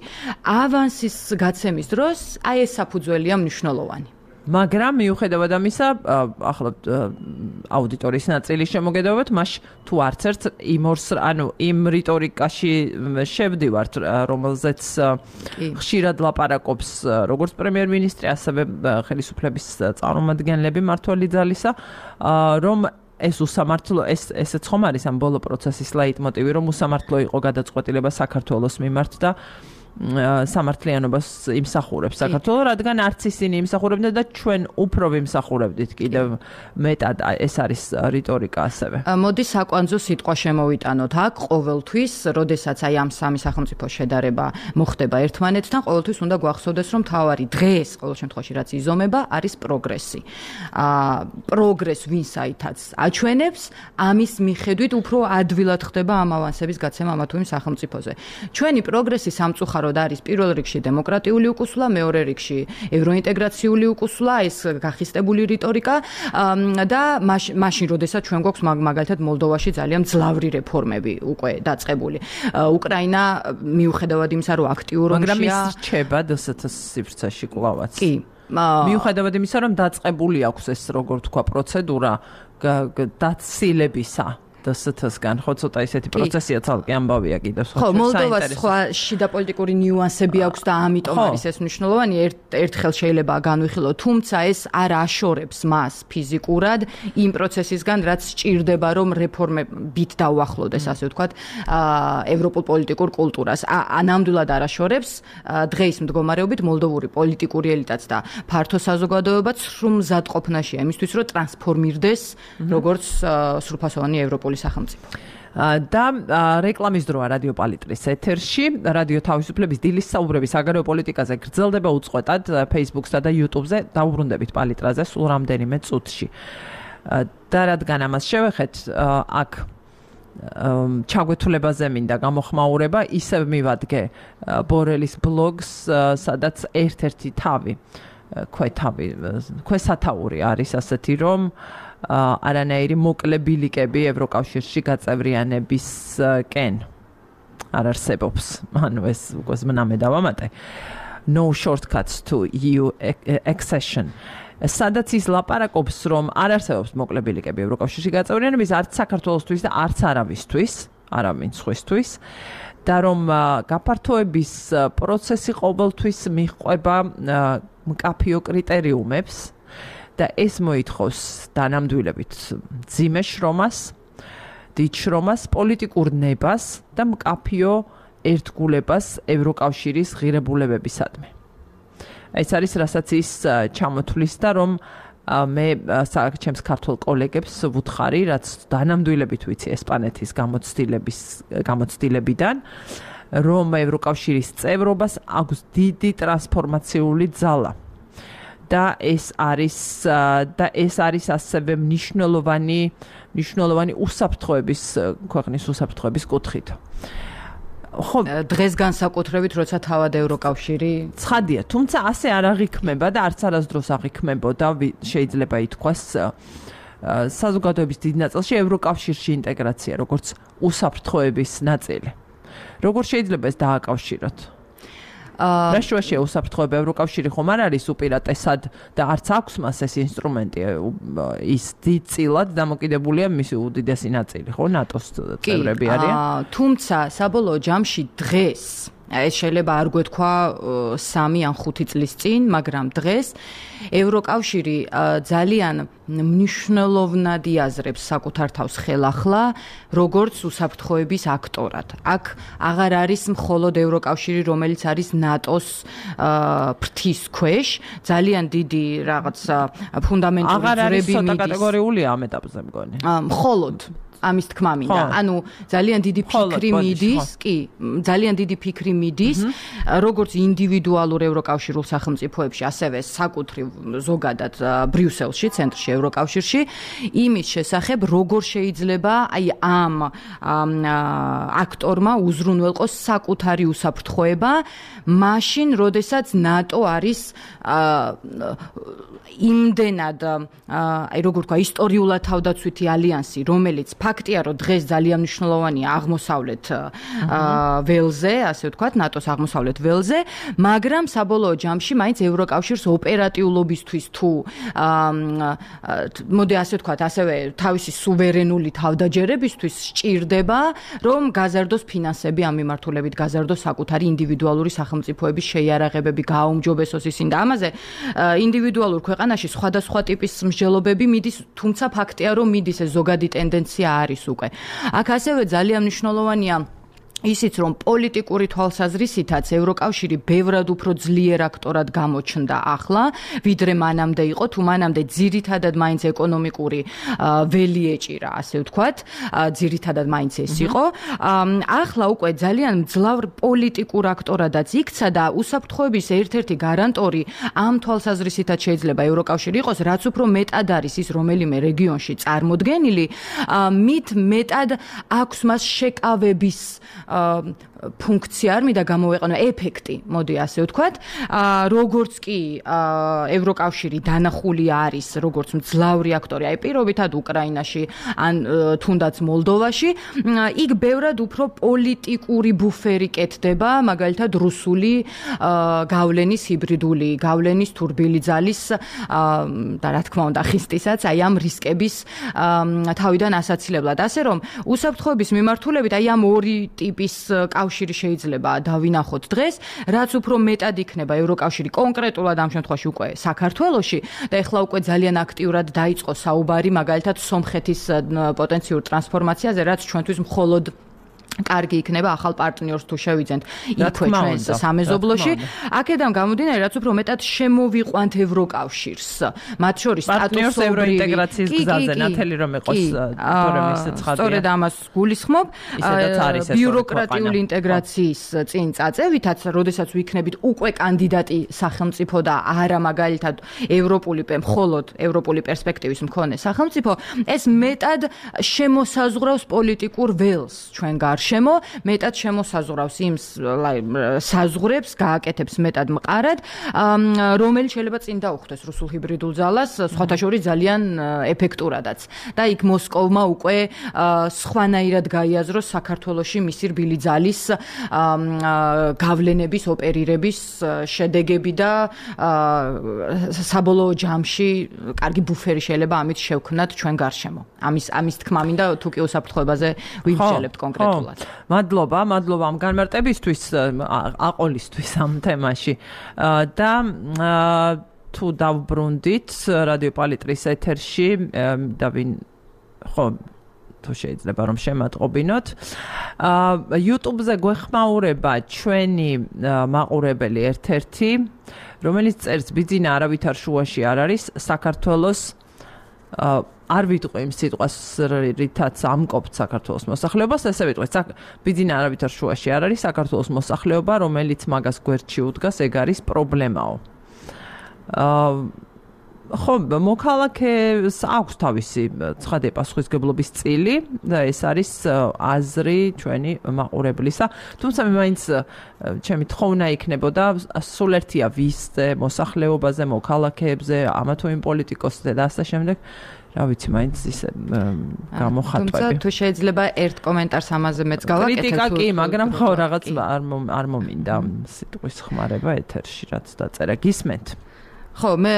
ავანსის გაცემის დროს აი ეს საფუძველია მნიშვნელოვანი. მაგრამ მიუხედავად ამისა, ახლა აუდიტორიის ნაწილის შემოგედავებთ, მას თუ არც ერთ იმ რიტორიკაში შევდივართ, რომელზეც ხშირად ლაპარაკობს როგორც პრემიერ-მინისტრი, ასევე ხელისუფლების წარმომადგენლები მმართველი ძალისა, რომ ეს უსამართლო, ესეც ხომ არის ამ ბოლო პროცესის ლაიტმოტივი, რომ უსამართლო იყო გადაწყვეტილება საქართველოს მიმართ და სამართლიანობას იმსახურებს საქართველოს, რადგან არც ისინი იმსახურებდნენ და ჩვენ უფრო ვიმსახურებდით კიდევ მეტად ეს არის რიტორიკა ასევე. მოდი საკვანძო სიტყვა შემოვიტანოთ. აქ ყოველთვის, როდესაც აი ამ სამი სახელმწიფოს შედარება მოხდება ერთმანეთთან, ყოველთვის უნდა გვახსოვდეს, რომ თავარი დღეს ყოველ შემთხვევაში რაც იზომება, არის პროგრესი. პროგრესს ვინსაითაც აჩვენებს, ამის მიხედვით უფრო ადვილად ხდება ამ ავანსების გაცემა ამა თუ იმ სახელმწიფოზე. ჩვენი პროგრესი სამწუხაროდ არის პირველ რიგში დემოკრატიული უკუსვლა, მეორე რიგში ევროინტეგრაციული უკუსვლა, ეს გახისტებული რიტორიკა და მაშინ როდესაც ჩვენ გვაქვს მაგალითად მოლდოვაში ძალიან მძლავრი რეფორმები უკვე დაწყებული. უკრაინა მიუხედავად იმისა, რომ აქტიურ ომშია, მაგრამ ის რჩება დსთ-ს სივრცეში კვლავაც. კი. მიუხედავად იმისა, რომ დაწყებული აქვს ეს როგორ თქვა პროცედურა დაცილებისა დსთ-სგან, ხო ცოტა ისეთი პროცესია ცალკე ამბავია კიდევ სხვა. ხო, მოლდოვას სხვა შიდა პოლიტიკური ნიუანსები აქვს და ამიტომ არის ეს მნიშვნელოვანი. ერთხელ შეიძლება განვიხილოთ, თუმცა ეს არ აშორებს მას ფიზიკურად იმ პროცესისგან, რაც სჭირდება, რომ რეფორმებით დაუახლოვდეს, ასე ვთქვათ, ევროპულ პოლიტიკურ კულტურას. ნამდვილად არ აშორებს. დღეს მდგომარეობით მოლდოვური პოლიტიკური ელიტაც და ფართო საზოგადოებაც სრულ მზადყოფნაშია იმისთვის, რომ ტრანსფორმირდეს როგორც სრულფასოვანი ევროპული სახელმწიფო. და რეკლამის დროა რადიო პალიტრის ეთერში, რადიო თავისუფლების დილის საუბრები საგარეო პოლიტიკაზე გრძელდება უწყვეტად Facebook-სა და YouTube-ზე, დაუბრუნდებით პალიტრაზე სულ რამდენიმე წუთში. და რადგან ამას შევეხეთ, აქ ჩაგვეთულებაზე მინდა გამოხმაურება, ისევ მივადგე ბორელის ბლოგს, სადაც ერთ-ერთი თავი, ქვესათაური არის ასეთი, რომ არანაირი მოკლე ბილიკები ევროკავშირში გაწევრიანებისკენ არ არსებობს. ანუ ეს უკვე ზმნამე დავამატე. No shortcuts to EU accession. სადაც ის ლაპარაკობს, რომ არ არსებობს მოკლე ბილიკები ევროკავშირში გაწევრიანების არც საქართველოსთვის და არც არავისთვის, არავინ სხვისთვის. და რომ გაფართოების პროცესი ყოველთვის მიჰყვება მკაფიო კრიტერიუმებს და ეს მოითხოვს დანამდვილებით მძიმე შრომას, დიდ შრომას, პოლიტიკურ ნებას და მკაფიო ერთგულებას ევროკავშირის ღირებულებებისადმი. ეს არის რასაც ის ჩამოთვლის და რომ მე ჩემს ქართულ კოლეგებს ვუთხარი, რაც დანამდვილებით ვიცი ესპანეთის გამოცდილებიდან, რომ ევროკავშირის წევრობას აქვს დიდი ტრანსფორმაციული ძალა. და ეს არის ასევე მნიშვნელოვანი უსაფრთხოების ქვეყნის უსაფრთხოების კუთხით. ხო, დღეს განსაკუთრებით, როცა თავად ევროკავშირი ცხადია, თუმცა ასე არ აღიქმება და არც არასდროს აღიქმებოდა, შეიძლება ითქვას საზოგადოების დიდ ნაწილში ევროკავშირში ინტეგრაცია, როგორც უსაფრთხოების ნაწილი. როგორ შეიძლება ეს დააკავშიროთ? რა შუაშია უსაფრთხოება? ევროკავშირი ხომ არ არის უპირატესად და არც აქვს მას ეს ინსტრუმენტი, ის დიდწილად დამოკიდებულია მისი უდიდესი ნაწილი, ხო, ნატოს წევრები არიან. თუმცა საბოლოო ჯამში დღეს ეს შეიძლება არ გვეთქვა 3 ან 5 წლის წინ, მაგრამ დღეს ევროკავშირი ძალიან მნიშვნელოვნად იაზრებს საკუთარ თავს ხელახლა, როგორც უსაფრთხოების აქტორად. აქ აღარ არის მხოლოდ ევროკავშირი, რომელიც არის ნატოს ფრთის ქვეშ, ძალიან დიდი რაღაც ფუნდამენტური ძვრები მიდის. აღარ არის ცოტა კატეგორიულია ამ ეტაპზე მგონი. მხოლოდ ამის თქმა მინდა. ანუ ძალიან დიდი ფიქრი მიდის, კი, ძალიან დიდი ფიქრი მიდის, როგორც ინდივიდუალურ ევროკავშირულ სახელმწიფოებში, ასევე საკუთრივ ზოგადად ბრიუსელში, ცენტრში, ევროკავშირში, იმის შესახებ, როგორ შეიძლება აი ამ აქტორმა უზრუნველყოს საკუთარი უსაფრთხოება, მაშინ, როდესაც ნატო არის იმდენად, აი როგორ ვთქვა, ისტორიულად თავდაცვითი ალიანსი, რომელიც ფაქტია, რომ დღეს ძალიან მნიშვნელოვანია აღმოსავლეთ ველზე, ასე ვთქვათ, ნატოს აღმოსავლეთ ველზე, მაგრამ საბოლოო ჯამში მაინც ევროკავშირს ოპერატიულობისთვის თუ მოდი ასე ვთქვათ, ასევე თავისი სუვერენული თავდაჯერებისთვის სჭირდება, რომ გაზარდოს ფინანსები ამ მიმართულებით, გაზარდოს საკუთარი ინდივიდუალური სახელმწიფოების შეიარაღებები, გააუმჯობესოს ისინი და ამაზე ინდივიდუალურ ქვეყანაში სხვადასხვა ტიპის მსჯელობები მიდის, თუმცა ფაქტია, რომ მიდის ეს ზოგადი ტენდენცია არის უკვე. აქ ასევე ძალიან მნიშვნელოვანია ისიც რომ პოლიტიკური თვალსაზრისითაც ევროკავშირი ბევრად უფრო ძლიერ აქტორად გამოჩნდა ახლა, ვიდრე მანამდე იყო, თუ მანამდე ძირითადად მაინც ეკონომიკური ველი ეჭირა, ასე ვთქვათ, ძირითადად მაინც ეს იყო. ახლა უკვე ძალიან მძლავრ პოლიტიკურ აქტორადაც იქცა და უსაფრთხოების ერთ-ერთი გარანტორი ამ თვალსაზრისითაც შეიძლება ევროკავშირი იყოს, რაც უფრო მეტად არის ის რომელიმე რეგიონში წარმოდგენილი, მით მეტად აქვს მას შეკავების ფუნქცია არ მინდა გამოვეყენო ეფექტი, მოდი ასე ვთქვათ, როგორც კი ევროკავშირი დანახული არის როგორც მძლავრი აქტორი, აი პირობითად უკრაინაში ან თუნდაც მოლდოვაში, იქ ბევრად უფრო პოლიტიკური ბუფერი კეთდება, მაგალითად რუსული გავლენის ჰიბრიდული გავლენის თურბილი ძალის და რა თქმა უნდა ხისტისაც აი ამ რისკების თავიდან ასაცილებლად, ასე რომ უსაფრთხოების მიმართულებით აი ამ ორი ტიპის კავშირი შეიძლება დავინახოთ დღეს, რაც უფრო მეტად იქნება ევროკავშირი კონკრეტულად ამ შემთხვევაში უკვე საქართველოში და ეხლა უკვე ძალიან აქტიურად დაიწყო საუბარი მაგალითად სომხეთის პოტენციურ ტრანსფორმაციაზე, რაც ჩვენთვის მხოლოდ კარგი იქნება ახალ პარტნიორს თუ შევიძენთ იქვე ჩვენს სამეზობლოში. აქედან გამომდინარე, რაც უფრო მეტად შემოვიყვანთ ევროკავშირს. მათ შორის პარტნიორს ევროინტეგრაციის გზაზე ნათელი რომ იყოს თორემ ისე ცხადია. სწორედ ამას გულისხმობ. ბიუროკრატიული ინტეგრაციის წინ წაწევითაც, როდესაც ვიქნებით უკვე კანდიდატი სახელმწიფო და არა მაგალითად მხოლოდ ევროპული პერსპექტივის მქონე სახელმწიფო, ეს მეტად შემოსაზღვრავს პოლიტიკურ ველს ჩვენ გარშემო, მეტად შემოსაზღვრავს იმ საზღვრებს, გააკეთებს მეტად მყარად, რომელიც შეიძლება წინ დაუხვდეს რუსულ ჰიბრიდულ ძალას, სხვათა შორის ძალიან ეფექტურადაც. და იქ მოსკოვმა უკვე სხვანაირად გაიაზროს საქართველოში მისი რბილი ძალის გავლენების, ოპერირების შედეგები და საბოლოო ჯამში კარგი ბუფერი შეიძლება ამით შევქმნათ ჩვენ გარშემო. ამის თქმა მინდა თუ კი უსაფრთხოებაზე ვიმსჯელებთ კონკრეტულად. მადლობა ამ განმარტებისთვის, აყოლისთვის ამ თემაში. და თუ დავბრუნდით რადიო პალიტრის ეთერში და თუ შეიძლება რომ შემატყობინოთ. YouTube-ზე გვეხმაურება ჩვენი მაყურებელი ერთ-ერთი, რომელიც წერს ბიძინა არავითარ შუაში არ არის, საქართველოს არ ვიტყვი იმ სიტყვას, რითაც ამკობთ საქართველოს მოსახლეობას, ესე ვიტყვი, ბიძინა არავითარ შუაში არ არის საქართველოს მოსახლეობა, რომელიც მაგას გვერდში უდგას, ეგ არის პრობლემაო. მოქალაქეს აქვს თავისი ცხადია პასუხისმგებლობის წილი და ეს არის აზრი ჩვენი მაყურებლისა. თუმცა მე მაინც ჩემი თხოვნა იქნებოდა სულ ერთია ვისზე, მოსახლეობაზე, მოქალაქეებზე, ამა თუ იმ პოლიტიკოსზე და ასე შემდეგ. რა ვიცი, მაინც ისე გამოხატვები. თუმცა თუ შეიძლება ერთ კომენტარს ამაზე მეც გავაკეთებ. კრიტიკა კი, მაგრამ ხო რაღაც არ მომინდა სიტყვის ხმარება ეთერში, რაც დაწერა. გისმენთ? ხო, მე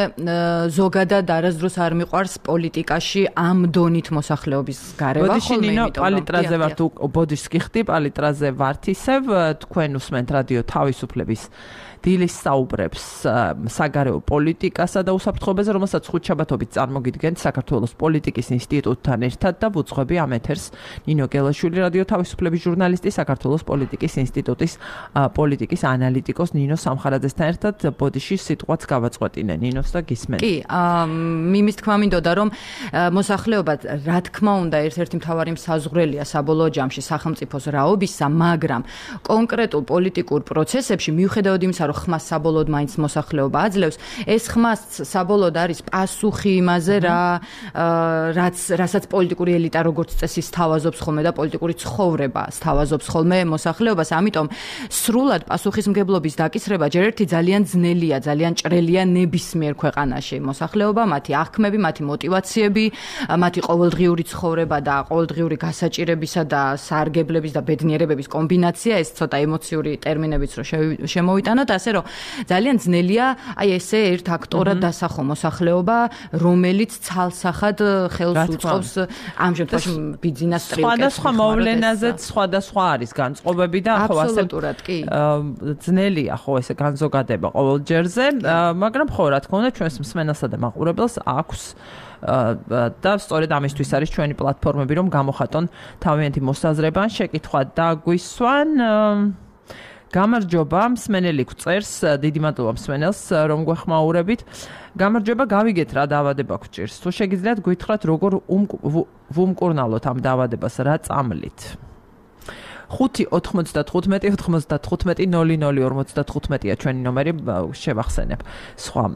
ზოგადად არასდროს არ მიყვარს პოლიტიკაში ამ დონით მოსახლეობის გარევა, ხოლმე იმიტომ პალიტრაზე ვართ, ბოდიშს გიხდი, პალიტრაზე ვართ ისევ, თქვენ უსმენთ რადიო თავისუფლების დილის საუბრებს საგარეო პოლიტიკასა და უსაფრთხოებაზე, რომელსაც ხუთშაბათობით წარმოგიდგენთ საქართველოს პოლიტიკის ინსტიტუტთან ერთად და ვუძღვები ამ ეთერს ნინო გელაშვილი, რადიო თავისუფლების ჟურნალისტი, საქართველოს პოლიტიკის ინსტიტუტის პოლიტიკის ანალიტიკოს ნინო სამხარაძესთან ერთად ბოდიშის სიტყვაც გავაწყვეტინე ნინოს და გისმენთ. კი, იმის თქმა მინდოდა, რომ მოსახლეობა რა თქმა უნდა ერთ-ერთი მთავარი საზღვრელია საბოლოო ჯამში სახელმწიფოს რაობისა, მაგრამ კონკრეტულ პოლიტიკურ პროცესებში მიუხედავად იმისა, რომ ხმას საბოლოოდ მაინც მოსახლეობა აძლევს, ეს ხმას საბოლოოდ არის პასუხი იმაზე, რასაც პოლიტიკური ელიტა როგორც წესი სთავაზობს ხოლმე და პოლიტიკური ცხოვრება სთავაზობს ხოლმე მოსახლეობას, ამიტომ სრულად პასუხისმგებლობის დაკისრება ჯერ ერთი ძალიან ძნელია, ძალიან ჭრელია ნებისმიერ ქვეყანაში. მოსახლეობა, მათი აღქმები, მათი мотиваციები, მათი ყოველდღიური ცხოვრება და ყოველდღიური გასაჭირებისა და სარგებლების და ბედნიერებების კომბინაცია, ეს ცოტა ემოციური ტერმინებიც რო შემოვიტანოთ, ასე რომ ძალიან ძნელია აი ესე ერთ აქტორად დასახო მოსახლეობა, რომელიც ცალსახად ხელს უწყობს ამ შემთხვევაში ბიძინას ტრიუკებს. სხვადასხვა მოვლენაზეც სხვადასხვა არის განწყობები და ხო ასე აბსოლუტურად კი. ძნელია ხო ესე განზოგადება ყოველ ჯერზე, მაგრამ ხო, რა თქმა უნდა, ჩვენს მსმენელსა და მაყურებელს აქვს და სწორედ ამისთვის არის ჩვენი პლატფორმები, რომ გამოხატონ თავიანთი მოსაზრება ან შეკითხვა და გვისვან. გამარჯობა, მსმენელი გვწერს, დიდი მადლობა მსმენელს, რომ გვეხმაურებით. გამარჯობა, გავიგეთ რა დაავადება გვჭირს. თუ შეგიძლიათ გვითხრათ, როგორ ვუმკურნალოთ ამ დაავადებას, რა წამლით. 5-95-95-00-55-ია ჩვენი ნომერი, შევახსენებ.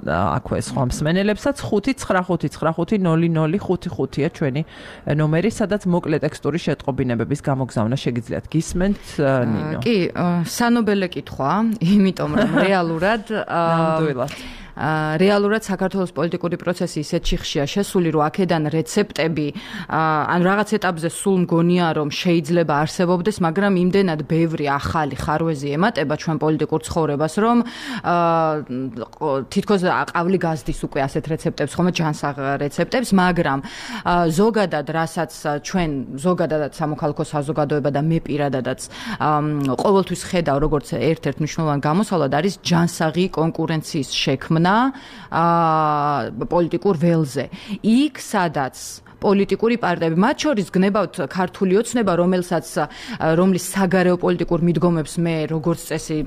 აქვე სხვა მსმენელებსაც 5-99-55-00-55-ია ჩვენი ნომერი, სადაც მოკლე ტექსტური შეტყობინებების გამოგზავნა შეგიძლიათ. გისმენთ, ნინო? კი, სანობელე კითხვა, იმიტომ რომ რეალურად რეალურად საქართველოს პოლიტიკური პროცესი ისეთ შიხშია შესული, რომ აქედან რეცეპტები ან რაღაც ეტაპზე სულ მგონია, რომ შეიძლება არსებობდეს, მაგრამ იმდენად ბევრი ახალი ხარვეზი ემატება ჩვენ პოლიტიკურ ცხოვრებას, რომ თითქოს ყავლი გაზდის უკვე ასეთ რეცეპტებს, ხომ ჯანსაღ რეცეპტებს, მაგრამ ზოგადად, რასაც ჩვენ ზოგადად სამოქალაქო საზოგადოება და მე პირადადაც ყოველთვის ხედავ, როგორც ერთ-ერთ მნიშვნელოვან გამოსავლად არის ჯანსაღი კონკურენციის შექმნა პოლიტიკურ ველზე. იქ სადაც პოლიტიკური პარტიები, მათ შორის გნებავთ ქართული ოცნება, რომლის საგარეო პოლიტიკურ მიდგომებს მე როგორც წესი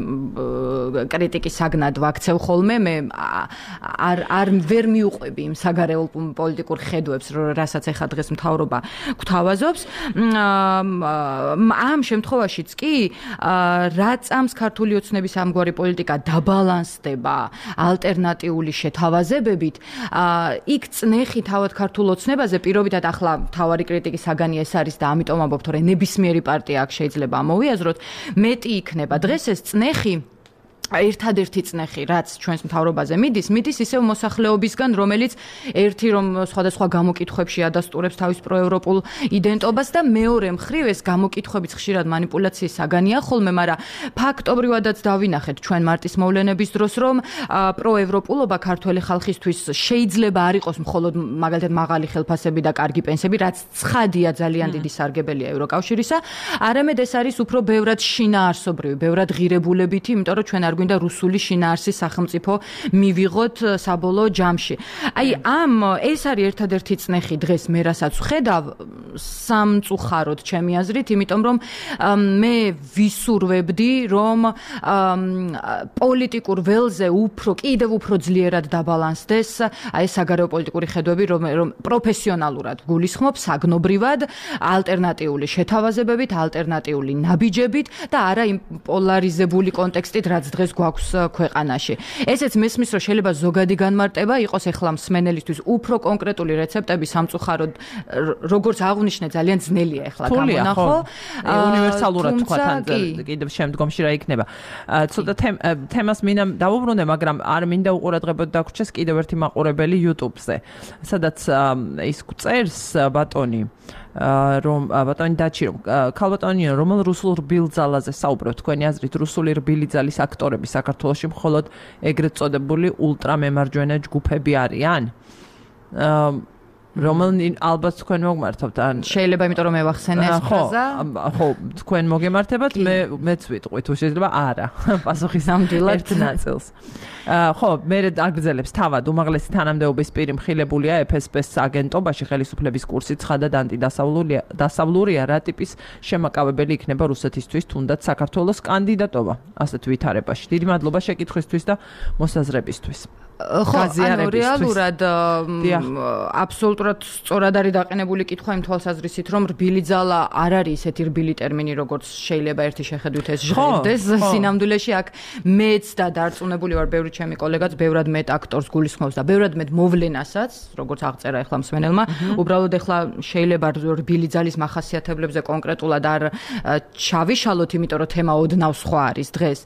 კრიტიკის საგნად ვაქცევ ხოლმე, მე ვერ მიუყვები იმ საგარეო პოლიტიკურ ხედვებს, რასაც ეხა დღეს მთავრობა გვთავაზობს. ამ შემთხვევაშიც კი რა წამს ქართული ოცნების ამგვარი პოლიტიკა დაბალანსდება ალტერნატიული შეთავაზებებით, იქ წნეხი თავად ქართულ ოცნებაზე პირობითად ახლა თავარი კრიტიკის საგანი ეს არის და ამიტომ ამბობთ, რომ ნებისმიერი პარტია აქ შეიძლება ამოვიაზროთ, მეტი იქნება. დღეს ეს წნეხი ერთადერთი წნეხი, რაც ჩვენს მთავრობაზე მიდის ისევ მოსახლეობისგან, რომელიც ერთი რომ სხვადასხვა გამოკითხვებში ადასტურებს თავის პროევროპულ იდენტობას და მეორე მხრივ ეს გამოკითხვებიც ხშირად მანიპულაციის საგანია ხოლმე, მაგრამ ფაქტობრივადაც დავინახეთ ჩვენ მარტის მოვლენების დროს, რომ პროევროპულობა ქართველი ხალხისთვის შეიძლება არ იყოს მხოლოდ მაგალითად მაღალი ხელფასები და კარგი პენსიები, რაც ცხადია ძალიან დიდი სარგებელია ევროკავშირისა, არამედ ეს არის უფრო ბევრად შინაარსობრივი, ბევრად ღირებულებითი, იმიტომ რომ ჩვენ გვინდა რუსული შინაარსის სახელმწიფო მივიღოთ საბოლოო ჯამში. ეს არის ერთადერთი წნეხი დღეს მე რასაც ვხედავ სამწუხაროდ ჩემი აზრით, იმიტომ რომ მე ვისურვებდი, რომ პოლიტიკურ ველზე კიდევ უფრო ძლიერად დაბალანსდეს ეს საგარეო პოლიტიკური ხედვები, რომ პროფესიონალურად გულისხმობ საგნობრივად ალტერნატიული შეთავაზებებით, ალტერნატიული ნაბიჯებით და არა იმ პოლარიზებული კონტექსტით, რაც დღეს გვაქვს ქვეყანაში. ესეც მესმის, რომ შეიძლება ზოგადი განმარტება იყოს ეხლა მსმენელისთვის უფრო კონკრეტული რეცეპტები სამწუხაროდ, როგორც აღნიშნე, ძალიან ძნელია ეხლა გამონახო. უნივერსალურად თქვა თან კიდევ შემდგომში რა იქნება. ცოტა თემას მინდა დავუბრუნდე, მაგრამ არ მინდა უყურადღებოდ დაგვრჩეს კიდევ ერთი მაყურებელი YouTube-ზე, სადაც ის გვწერს ბატონი რომ ბატონი დაჩი რომ ქალბატონიო, რომელ რუსულ რბილ ძალაზე საუბრობთ? თქვენი აზრით რუსული რბილი ძალის აქტორები საქართველოში მხოლოდ ეგრეთ წოდებული ულტრამემარჯვენე ჯგუფები არიან? რომელნი ალბათ თქვენ მოგმართობთ ან შეიძლება იმიტომ რომ მევახსენე ეს ფრაზა? ხო, თქვენ მოგემართებათ, მეც ვიტყვი თუ შეიძლება არა. პასუხის ნამდვილად ნაწილს. ხო, მე აგრძელებს თავად უმაღლესი თანამდებობის პირი მხილებულია FSB-ს აგენტობაში ხელისუფლების კურსი ცხადად ანტიდასავლურია, რა ტიპის შემაკავებელი იქნება რუსეთისთვის თუნდაც საქართველოს კანდიდატობა ასეთ ვითარებაში. დიდი მადლობა შეკითხვისთვის და მოსაზრებისთვის. ხო, ანუ რეალურად აბსოლუტურად სწორად არის დაყენებული კითხვა იმ თვალსაზრისით, რომ რბილი ძალა არ არის ესეთი რბილი ტერმინი, როგორც შეიძლება ერთი შეხედვით ეს ჟღერდეს. სინამდვილეში აქ მეც და დარწმუნებული ვარ, ბევრი ჩემი კოლეგაც ბევრად მეტ აქტორს გულისხმობს და ბევრად მეტ მოვლენასაც, როგორც აღწერა ახლა მსმენელმა, უბრალოდ ახლა შეიძლება რბილი ძალის მახასიათებლებზე კონკრეტულად არ ჩავიშალოთ, იმიტომ რომ თემა ოდნავ სხვა არის დღეს.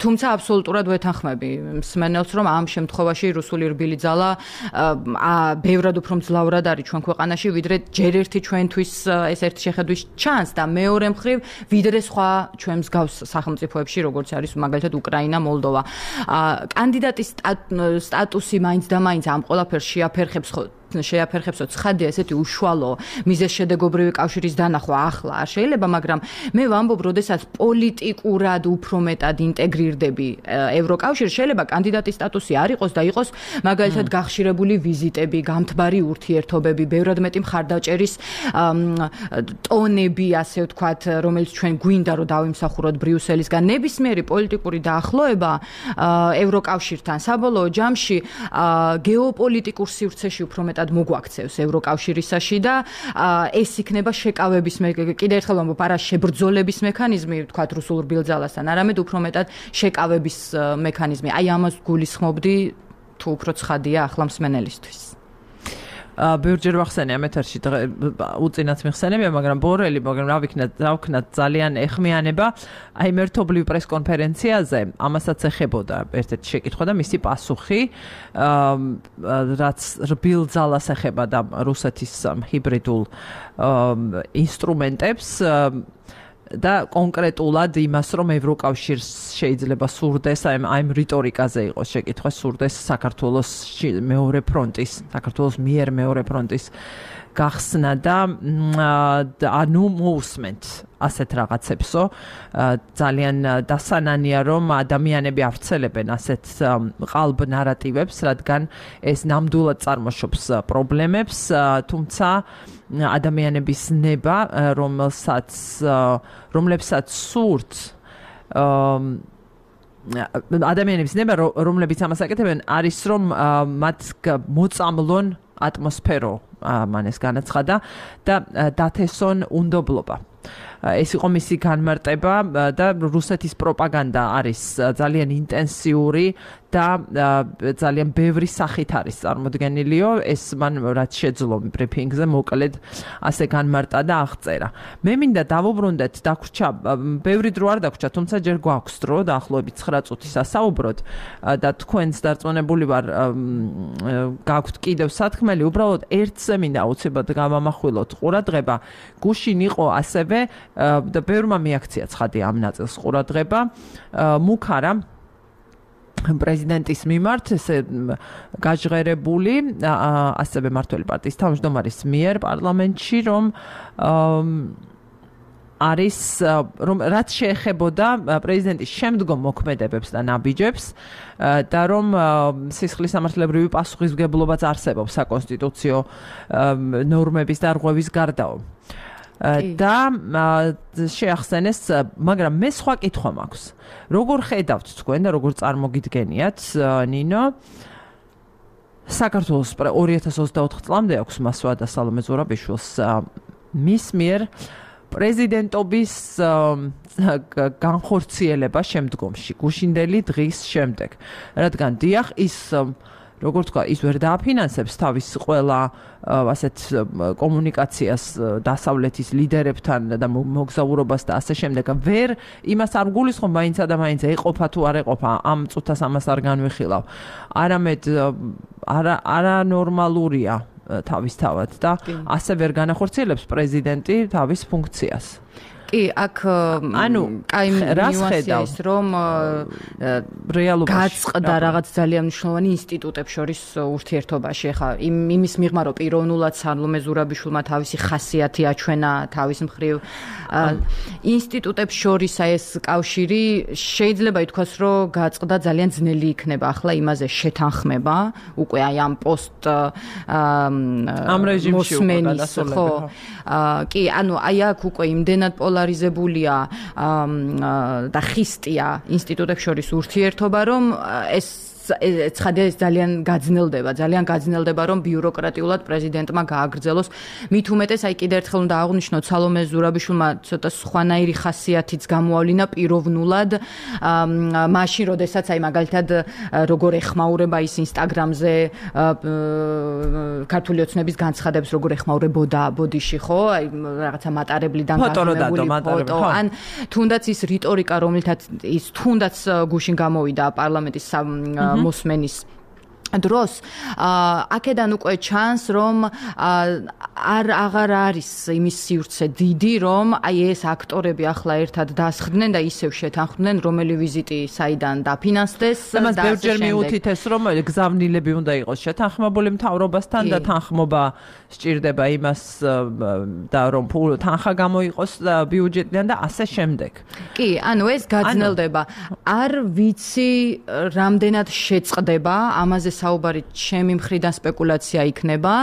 თუმცა აბსოლუტურად ვეთანხმები მსმენელს, რომ ამ შემთხვევაში რუსული რბილი ძალა ბევრად უფრო მძლავრად არის ჩვენ ქვეყანაში, ვიდრე ჯერ ერთი ჩვენთვის ეს ერთი შეხედვის ჩანს და მეორე მხრივ ვიდრე სხვა ჩვენ მსგავს სახელმწიფოებში, როგორც არის მაგალითად უკრაინა, მოლდოვა. კანდიდატის სტატუსი მაინც და მაინც ამ ყველაფერს შეაფერხებს შეაფერხებსო ცხადია ესეთი უშუალო მიზეზშედეგობრივი კავშირის დანახვა ახლა არ შეიძლება, მაგრამ მე ვამბობ, როდესაც პოლიტიკურად უფრო მეტად ინტეგრირდები ევროკავშირში, შეიძლება კანდიდატის სტატუსი არ იყოს და იყოს მაგალითად გახშირებული ვიზიტები, გამთბარი ურთიერთობები, ბევრად მეტი მხარდაჭერის ტონები, ასე ვთქვათ, რომელიც ჩვენ გვინდა რომ დავიმსახუროთ ბრიუსელისგან. ნებისმიერი პოლიტიკური დაახლოება ევროკავშირთან საბოლოო ჯამში გეოპოლიტიკურ სივრცეში უფრო მეტად მოგვაქცევს ევროკავშირისაში და ეს იქნება შეკავების კიდე ერთხელ ვამბობ, არა შებრძოლების მექანიზმი, ვთქვათ რუსულ რბილძალასთან, არამედ უფრო მეტად შეკავების მექანიზმი. აი ამას გულისხმობდი თუ უფრო ცხადია ახლა მსმენელისთვის. ბევრჯერ ვახსენე ამ ეთერში უწინაც მიხსენებია, მაგრამ ბორელი, რა ვქნათ ძალიან ეხმიანება. აი მერთობლივ პრესკონფერენციაზე ამასაც ეხებოდა ერთ-ერთი შეკითხვა და მისი პასუხი, რაც რბილ ძალას ეხება და რუსეთის ჰიბრიდულ ინსტრუმენტებს და კონკრეტულად იმას, რომ ევროკავშირს შეიძლება სურდეს აი რიტორიკაზე იყოს შეკითხვა, სურდეს საქართველოს მეორე ფრონტის, საქართველოს მიერ მეორე ფრონტის გახსნა და ანუ მოусმენთ ასეთ რაღაცებსო. ძალიან დასანანია, რომ ადამიანები ავრცელებენ ასეთ ყალბ ნარატივებს, რადგან ეს ნამდვილად წარმოშობს პრობლემებს, თუმცა ადამიანების ნება, რომლებსაც სურთ ადამიანების ნება, რომლებიც ამას აკეთებენ, არის რომ მათ მოწამლონ ატმოსფერო, მან ეს განაცხადა და დათესონ უნდობლობა. ეს იყო მისი განმარტება და რუსეთის პროპაგანდა არის ძალიან ინტენსიური და ძალიან ბევრი სახით არის წარმოდგენილიო. ეს მან რაც შეძლო ბრიფინგზე მოკლედ ასე განმარტა და აღწერა. მე მინდა დავუბრუნდეთ, დაგვრჩა, ბევრი დრო არ დაგვრჩა, თუმცა ჯერ გვაქვს დრო დაახლოებით 9 წუთი სასაუბროთ და თქვენს დარწმუნებული ვარ გაქვთ კიდევ სათქმელი, უბრალოდ ერთზე მინდა აუცილებლად გავამახვილოთ ყურადღება. გუშინ იყო ასევე და ბევრმა მიაქცია ცხადი ამ ნაწილს ყურადღება, მუქარა პრეზიდენტის მიმართ ესე გაჟღერებული ასევე მართველი პარტიის თავმჯდომარის მიერ პარლამენტში, რომ არის რომ რაც შეეხებოდა პრეზიდენტის შემდგომ მოქმედებებს და ნაბიჯებს და რომ სისხლის სამართლებრივი პასუხისმგებლობაც არსებობს საკონსტიტუციო ნორმების დარღვევის გარდაო. და შეახსენეს, მაგრამ მე სხვა კითხვა მაქვს. როგორ ხედავთ თქვენ და როგორ წარმოგიდგენიათ, ნინო, საქართველოს 2024 წლამდე აქვს მასვა და სალომე ზურაბიშვილს მის მიერ პრეზიდენტობის განხორციელება შემდგომში, გუშინდელი დღის შემდეგ. რადგან დიახ, ის როგორ თქვა, ის ვერ დააფინანსებს თავის ყველა ასეთ კომუნიკაციას დასავლეთის ლიდერებთან და მოგზაურობას და ასე შემდეგ. ვერ იმას არ გულისხმობ, მაინცა და მაინც ეყოფა თუ არ ეყოფა, ამ წუთას ამას არ განვიხილავ. არამედ არანორმალურია თავისთავად და ასე ვერ განახორციელებს პრეზიდენტი თავის ფუნქციას. კი, აქ ანუ კაი ნიუანსია ის, რომ რეალობაში გაწყდა რაღაც ძალიან მნიშვნელოვანი ინსტიტუტებს შორის ურთიერთობაში. ეხლა იმის მიღმა, რომ პიროვნულად სალომე ზურაბიშვილმა თავისი ხასიათი აჩვენა თავის მხრივ ინსტიტუტებს შორის ეს კავშირი შეიძლება ითქვას, რომ გაწყდა ძალიან ძნელი იქნება ახლა იმაზე შეთანხმება, უკვე აი ამ პოსტ ამ რეჟიმში ხო. კი, ანუ აი აქ უკვე იმდენად პოლარიზებულია და ხისტია ინსტიტუტებს შორის ურთიერთობა, რომ ეს ცხადია ეს ძალიან გაძნელდება, რომ ბიუროკრატიულად პრეზიდენტმა გააგრძელოს. მით უმეტეს, აი კიდევ ერთხელ უნდა აღვნიშნოთ, სალომე ზურაბიშვილმა ცოტა სხვანაირი ხასიათიც გამოავლინა პიროვნულად, მაშინ, როდესაც აი მაგალითად როგორ ეხმაურება ის ინსტაგრამზე ქართული ოცნების განცხადებს, როგორ ეხმაურებოდა ბოდიში, ხო? აი რაღაცა მატარებლიდან გაზომებული ფოტო, ან თუნდაც ის რიტორიკა, რომელთაც ის თუნდაც გუშინ გამოვიდა პარლამენტის მოსმენის დროს აქედან უკვე ჩანს რომ აღარ არის იმის სივრცე დიდი რომ აი ეს აქტორები ახლა ერთად დასხდნენ და ისევ შეთანხმდნენ რომელი ვიზიტი საიდან დაფინანსდეს და მას ბევრჯერ მიუთითეს რომ გზავნილები უნდა იყოს შეთანხმებული მთავრობასთან და თანხმობა სჭირდება იმას და რომ თანხა გამოიყოს ბიუჯეტიდან და ასე შემდეგ. კი, ანუ ეს გაძნელდება. არ ვიცი რამდენად შეწყდება ამაზე საუბარი ჩემი მხრიდან სპეკულაცია იქნება,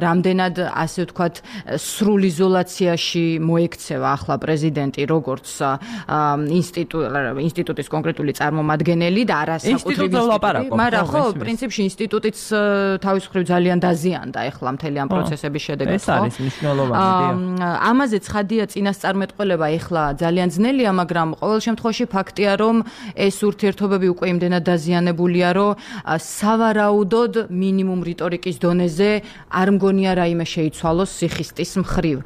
რამდენად ასე ვთქვათ სრულ იზოლაციაში მოექცევა ახლა პრეზიდენტი როგორც ინსტიტუტის კონკრეტული წარმომადგენელი და არასაკუთრივი ინსტიტუტი, მაგრამ ხო, პრინციპში ინსტიტუტიც თავის მხრივ ძალიან დაზიანდა ახლა მთელი ამ პროცესების შედეგად. ეს არის მნიშვნელოვანი. ამაზე ცხადია წინასწარმეტყველება ახლა ძალიან ძნელია, მაგრამ ყოველ შემთხვევაში ფაქტია რომ ეს ურთიერთობები უკვე იმდენად დაზიანებულია, რომ სავარაუდოდ მინიმუმ რიტორიკის დონეზე არ მგონია რაიმე შეიცვალოს სიხისტის მხრივ.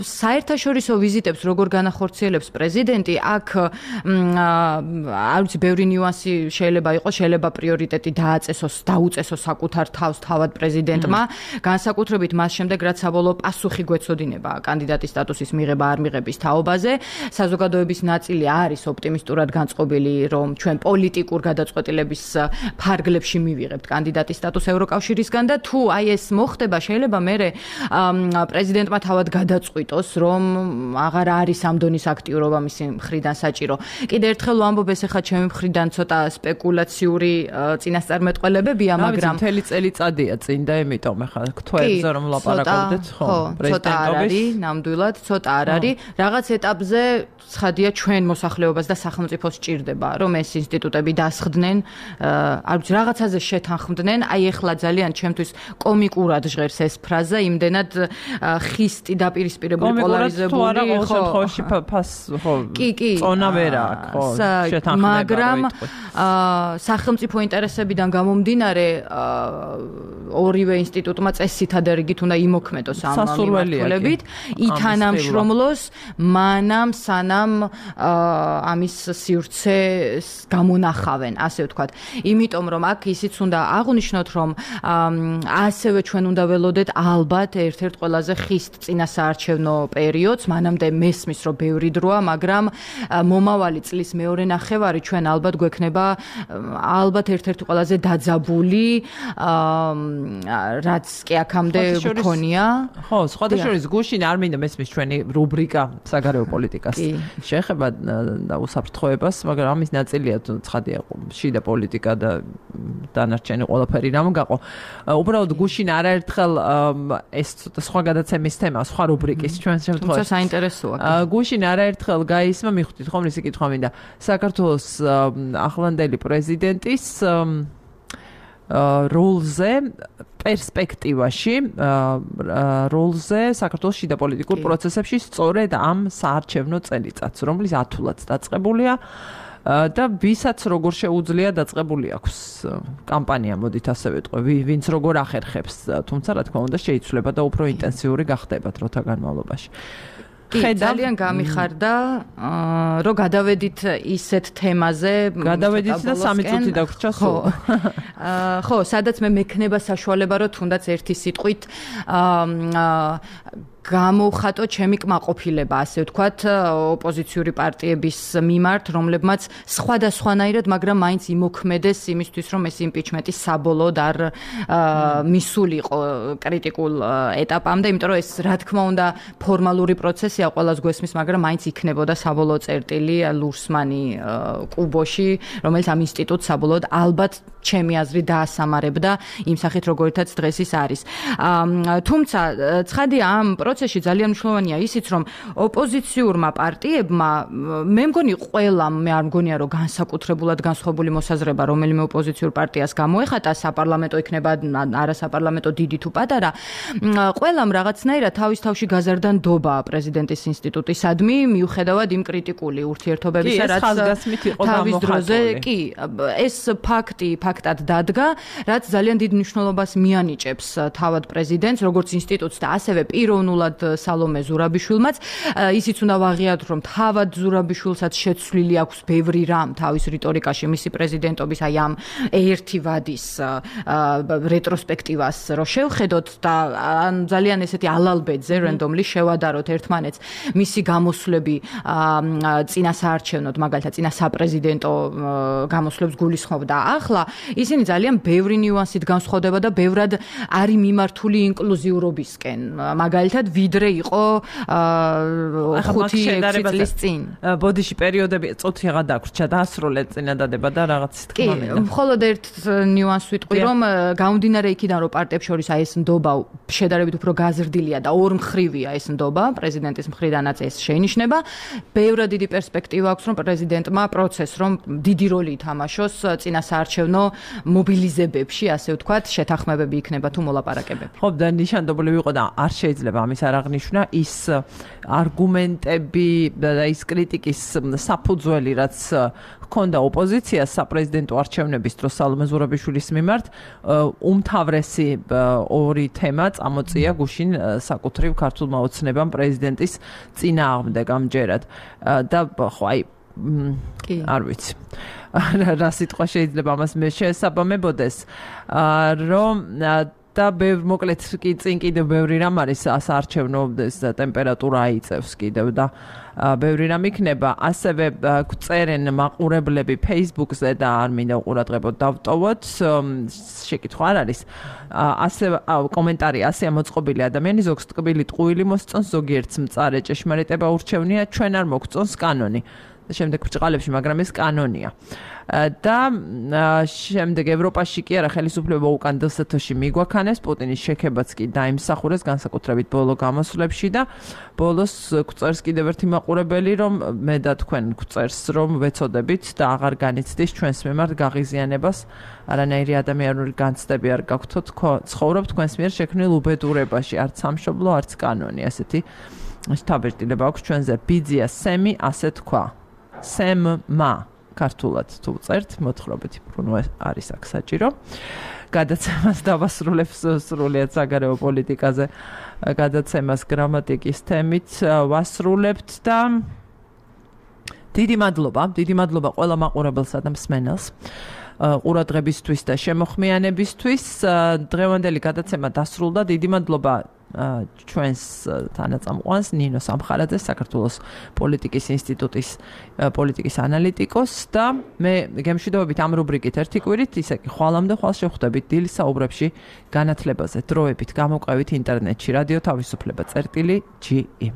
საერთაშორისო ვიზიტებს როგორ განახორციელებს პრეზიდენტი, აქ არ ვიცი, ბევრი ნიუანსი შეიძლება იყოს, შეიძლება პრიორიტეტი დაუწესოს საკუთარ თავს თავად პრეზიდენტმა, განსაკუთრებით მას შემდეგ, რაც საბოლოო პასუხი გვეცოდინება კანდიდატის სტატუსის მიღება არ მიღების თაობაზე. საზოგადოების ნაწილი არის ოპტიმისტურად განწყობილი, რომ ჩვენ პოლიტიკურ გადაწყვეტილების ფარგლებში მივიღებთ კანდიდატის სტატუსს ევროკავშირისგან და თუ აი ეს მოხდება, შეიძლება მერე პრეზიდენტმა თავად გადაწყვიტოს, რომ აღარ არის ამ დონის აქტიურობა მისი მხრიდან საჭირო. კიდევ ერთხელ ვამბობ, ეს ახლა ჩემი მხრიდან ცოტა სპეკულაციური წინასწარმეტყველებებია, მაგრამ მთელი წელიწადია წინ და იმიტომ ახლა გვთვალზე რომ ლაპარაკობდეთ, ხო, პრეზიდენტობის ნამდვილად ცოტა არ არის. რაღაც ეტაპზე ცხადია ჩვენ მოსახლეობას და სახელმწიფოს სჭირდება, რომ ეს ინსტიტუტები დასხდნენ, არ ვიცი, რაღაცაზე შეთანხმდნენ. აი ახლა ძალიან ჩემთვის კომიკურად ჟღერს ეს ფრაზა, იმდენად ხისტი დაპირისპირებული პოლარიზებული, ხო, წონა ვერ აქვს, ხო, შეთანხმება, მაგრამ სახელმწიფო ინტერესებიდან გამომდინარე ორივე ინსტიტუტმა წესითა დერგით უნდა იმოქმედოს ამ მიმართულებით, ითანამშრომლოს მანამ სანამ ამის სივრცე გამონახავენ, ასე ვთქვათ. იმიტომ რომ აქ ისიც უნდა აღვნიშნოთ, რომ ასევე ჩვენ უნდა ველოდეთ ალბათ ერთ-ერთ ყველაზე ხისტ წინასაარჩევნო პერიოდს, მანამდე მესმის რომ ბევრი დროა, მაგრამ მომავალი წლის მეორე ნახევარი ჩვენ ალბათ გვექნება ალბათ ერთ-ერთი ყველაზე დაძაბული, რაც კი აქამდე გქონია. ხო, სხვადასხვა გუშინ არ მინდა მესმის ჩვენი რუბრიკა საგარეო პოლიტიკას შეეხება და უსაფრთხოებას, მაგრამ ამის ნაწილია ცხადია შიდა პოლიტიკა და დანარჩენი ყველაფერი რამ გაყო. უბრალოდ გუშინ არაერთხელ ეს ცოტა სხვა გადაცემის თემა, სხვა რუბრიკის ჩვენ შემთხვევაში. თუმცა საინტერესოა. გუშინ არაერთხელ გაისმა, მიხვდით ხომ რისი კითხვა მინდა. საქართველოს ახლანდელი პრეზიდენტის როლზე პერსპექტივაში როლზე საქართველოს შიდა პოლიტიკურ პროცესებში სწორედ ამ საარჩევნო წელიწადს, რომლის ათულად დაწყებულია და ვისაც როგორ შეუძლია დაწყებული აქვს კამპანია, მოდით ასე ვეტყვი, ვინც როგორ ახერხებს, თუმცა რა თქმა უნდა შეიცვლება და უფრო ინტენსიური გახდება დროთა განმავლობაში. ძალიან გამიხარდა, რომ გადავედით ისეთ თემაზე, გადავედით და 3 წუთი დაგვრჩა სულ. ხო, სადაც მე მექნება საშუალება, რომ თუნდაც ერთი სიტყვით გამოვხატო ჩემი კმაყოფილება, ასე ვთქვათ, ოპოზიციური პარტიების მიმართ, რომლებმაც სხვადასხვანაირად, მაგრამ მაინც იმოქმედეს იმისთვის, რომ ეს იმპიჩმენტი საბოლოოდ არ მისულიყო კრიტიკულ ეტაპამდე, იმიტომ რომ ეს რა თქმა უნდა ფორმალური პროცესია, ყველას გვესმის, მაგრამ მაინც იქნებოდა საბოლოო წერტილი ლურსმანი კუბოში, რომელიც ამ ინსტიტუტს საბოლოოდ ალბათ ჩემი აზრით დაასამარებდა იმ სახით, როგორითაც დღეს ის არის. თუმცა ცხადია ამ პროცესში ძალიან მნიშვნელოვანია ისიც, რომ ოპოზიციურმა პარტიებმა, მე მგონი ყველამ, მე არ მგონია, რომ განსაკუთრებულად განსხვავებული მოსაზრება რომელიმე ოპოზიციურ პარტიას გამოეხატა, საპარლამენტო იქნება, არასაპარლამენტო დიდი თუ პატარა, ყველამ რაღაცნაირად თავის თავში გაზარდა ნდობა პრეზიდენტის ინსტიტუტისადმი, მიუხედავად იმ კრიტიკული ურთიერთობებისა, რაც თავის დროზე, კი, ეს ფაქტად დადგა, რაც ძალიან დიდ მნიშვნელობას მიანიჭებს თავად პრეზიდენტს, როგორც ინსტიტუტს და ასევე პიროვნულად მხოლოდ სალომე ზურაბიშვილმაც. ისიც უნდა ვაღიაროთ, რომ თავად ზურაბიშვილსაც შეცვლილი აქვს ბევრი რამ თავის რიტორიკაში მისი პრეზიდენტობის აი ამ ერთი ვადის რეტროსპექტივას რო შევხედოთ და ძალიან ესეთი ალალბედზე რენდომლი შევადაროთ ერთმანეთს მისი გამოსვლები წინასაარჩევნოდ მაგალითად წინასაპრეზიდენტო გამოსვლებს გულისხმობდა ახლა ისინი ძალიან ბევრი ნიუანსით განსხვავდება და ბევრად არის მიმართული ინკლუზიურობისკენ მაგალითად ვიდრე იყო 5-6 წლის წინ ბოდიში პერიოდები წუთიღა დაგვრჩა დაასრულეთ წინადადება და რაღაც თქმა მინდა მხოლოდ ერთ ნიუანს ვიტყვი რომ გამომდინარე იქიდან რომ პარტიებს შორის აი ეს ნდობა შედარებით უფრო გაზრდილია და ორმხრივია ეს ნდობა პრეზიდენტის მხრიდანაც ეს შეინიშნება ბევრად დიდი პერსპექტივა აქვს რომ პრეზიდენტმა პროცესს რომ დიდი როლი ითამაშოს წინასაარჩევნო მობილიზებებში ასე ვთქვათ შეთანხმებები იქნება თუ მოლაპარაკებები ხო და ნიშანდობლი ვიყო და არ შეიძლება ამის არ აღნიშნა ის არგუმენტები და ის კრიტიკის საფუძველი რაც ჰქონდა ოპოზიციას საპრეზიდენტო არჩევნების დროს სალომე ზურაბიშვილის მიმართ უმთავრესი ორი თემა წამოწია გუშინ საკუთრივ ქართულმა ოცნებამ პრეზიდენტის წინააღმდეგ ამჯერად და ხო აი არ ვიცი რა სიტყვა შეიძლება ამას მე შესაბამებოდეს რომ და მოკლედ კი წინ კიდევ ბევრი რამ არის საარჩევნო ტემპერატურა აიწევს კიდევ და ბევრი რამ იქნება ასევე წერენ მაყურებლები Facebook-ზე და არ მინდა ყურადღებოდ დავტოვოთ შეკითხვა არ არის ასე კომენტარი ასე მოწყობილი ადამიანი ზოგს ტკბილი ტყუილი მოსწონს ზოგიერთს მწარე ჭეშმარიტება ურჩევნია ჩვენ არ მოგწონს კანონი შემდეგ ბრჭყალებში მაგრამ ეს კანონია და შემდეგ ევროპაში კი არა ხელისუფლება უკან დსთ-ში მიგვაქანეს პუტინის შექებაც კი დაიმსახურეს განსაკუთრებით ბოლო გამოსვლებში და ბოლოს გვწერს კიდევ ერთი მაყურებელი რომ მე და თქვენ გვწერს რომ ვეცოდებით და აღარ განიცდის ჩვენს მიმართ გაღიზიანებას არანაირი ადამიანური განცდები არ გაქვთ ცხოვრობ თქვენს მიერ შექმნილ უბედურებაში არც სამშობლო არც კანონი ასეთი შთაბეჭდილება აქვს ჩვენზე ბიძია სემი ასე თქვა სემმა ქართულად თუ წერთ მოთხრობითი ბრუნვა არის აქ საჭირო გადაცემას დავასრულებს სრულიად საგარეო პოლიტიკაზე გადაცემას გრამატიკის თემით ვასრულებთ და დიდი მადლობა ყველა მაყურებელსა და მსმენელს ყურადღებისთვის და შემოხმიანებისთვის დღევანდელი გადაცემა დასრულდა დიდი მადლობა ჩვენს თანაწამყვანს ნინო სამხარაძეს საქართველოს პოლიტიკის ინსტიტუტის პოლიტიკის ანალიტიკოს და მე გემშვიდობებით ამ რუბრიკით ერთი კვირით ისე კი ხვალამდე ხვალ შევხვდებით დილის საუბრებში განათლებაზე დროებით გამოყევით ინტერნეტში რადიო თავისუფლება წერტილი.ge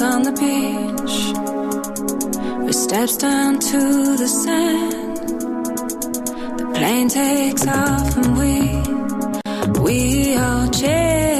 On the beach, we steps down to the sand. The plane takes off and we all chase.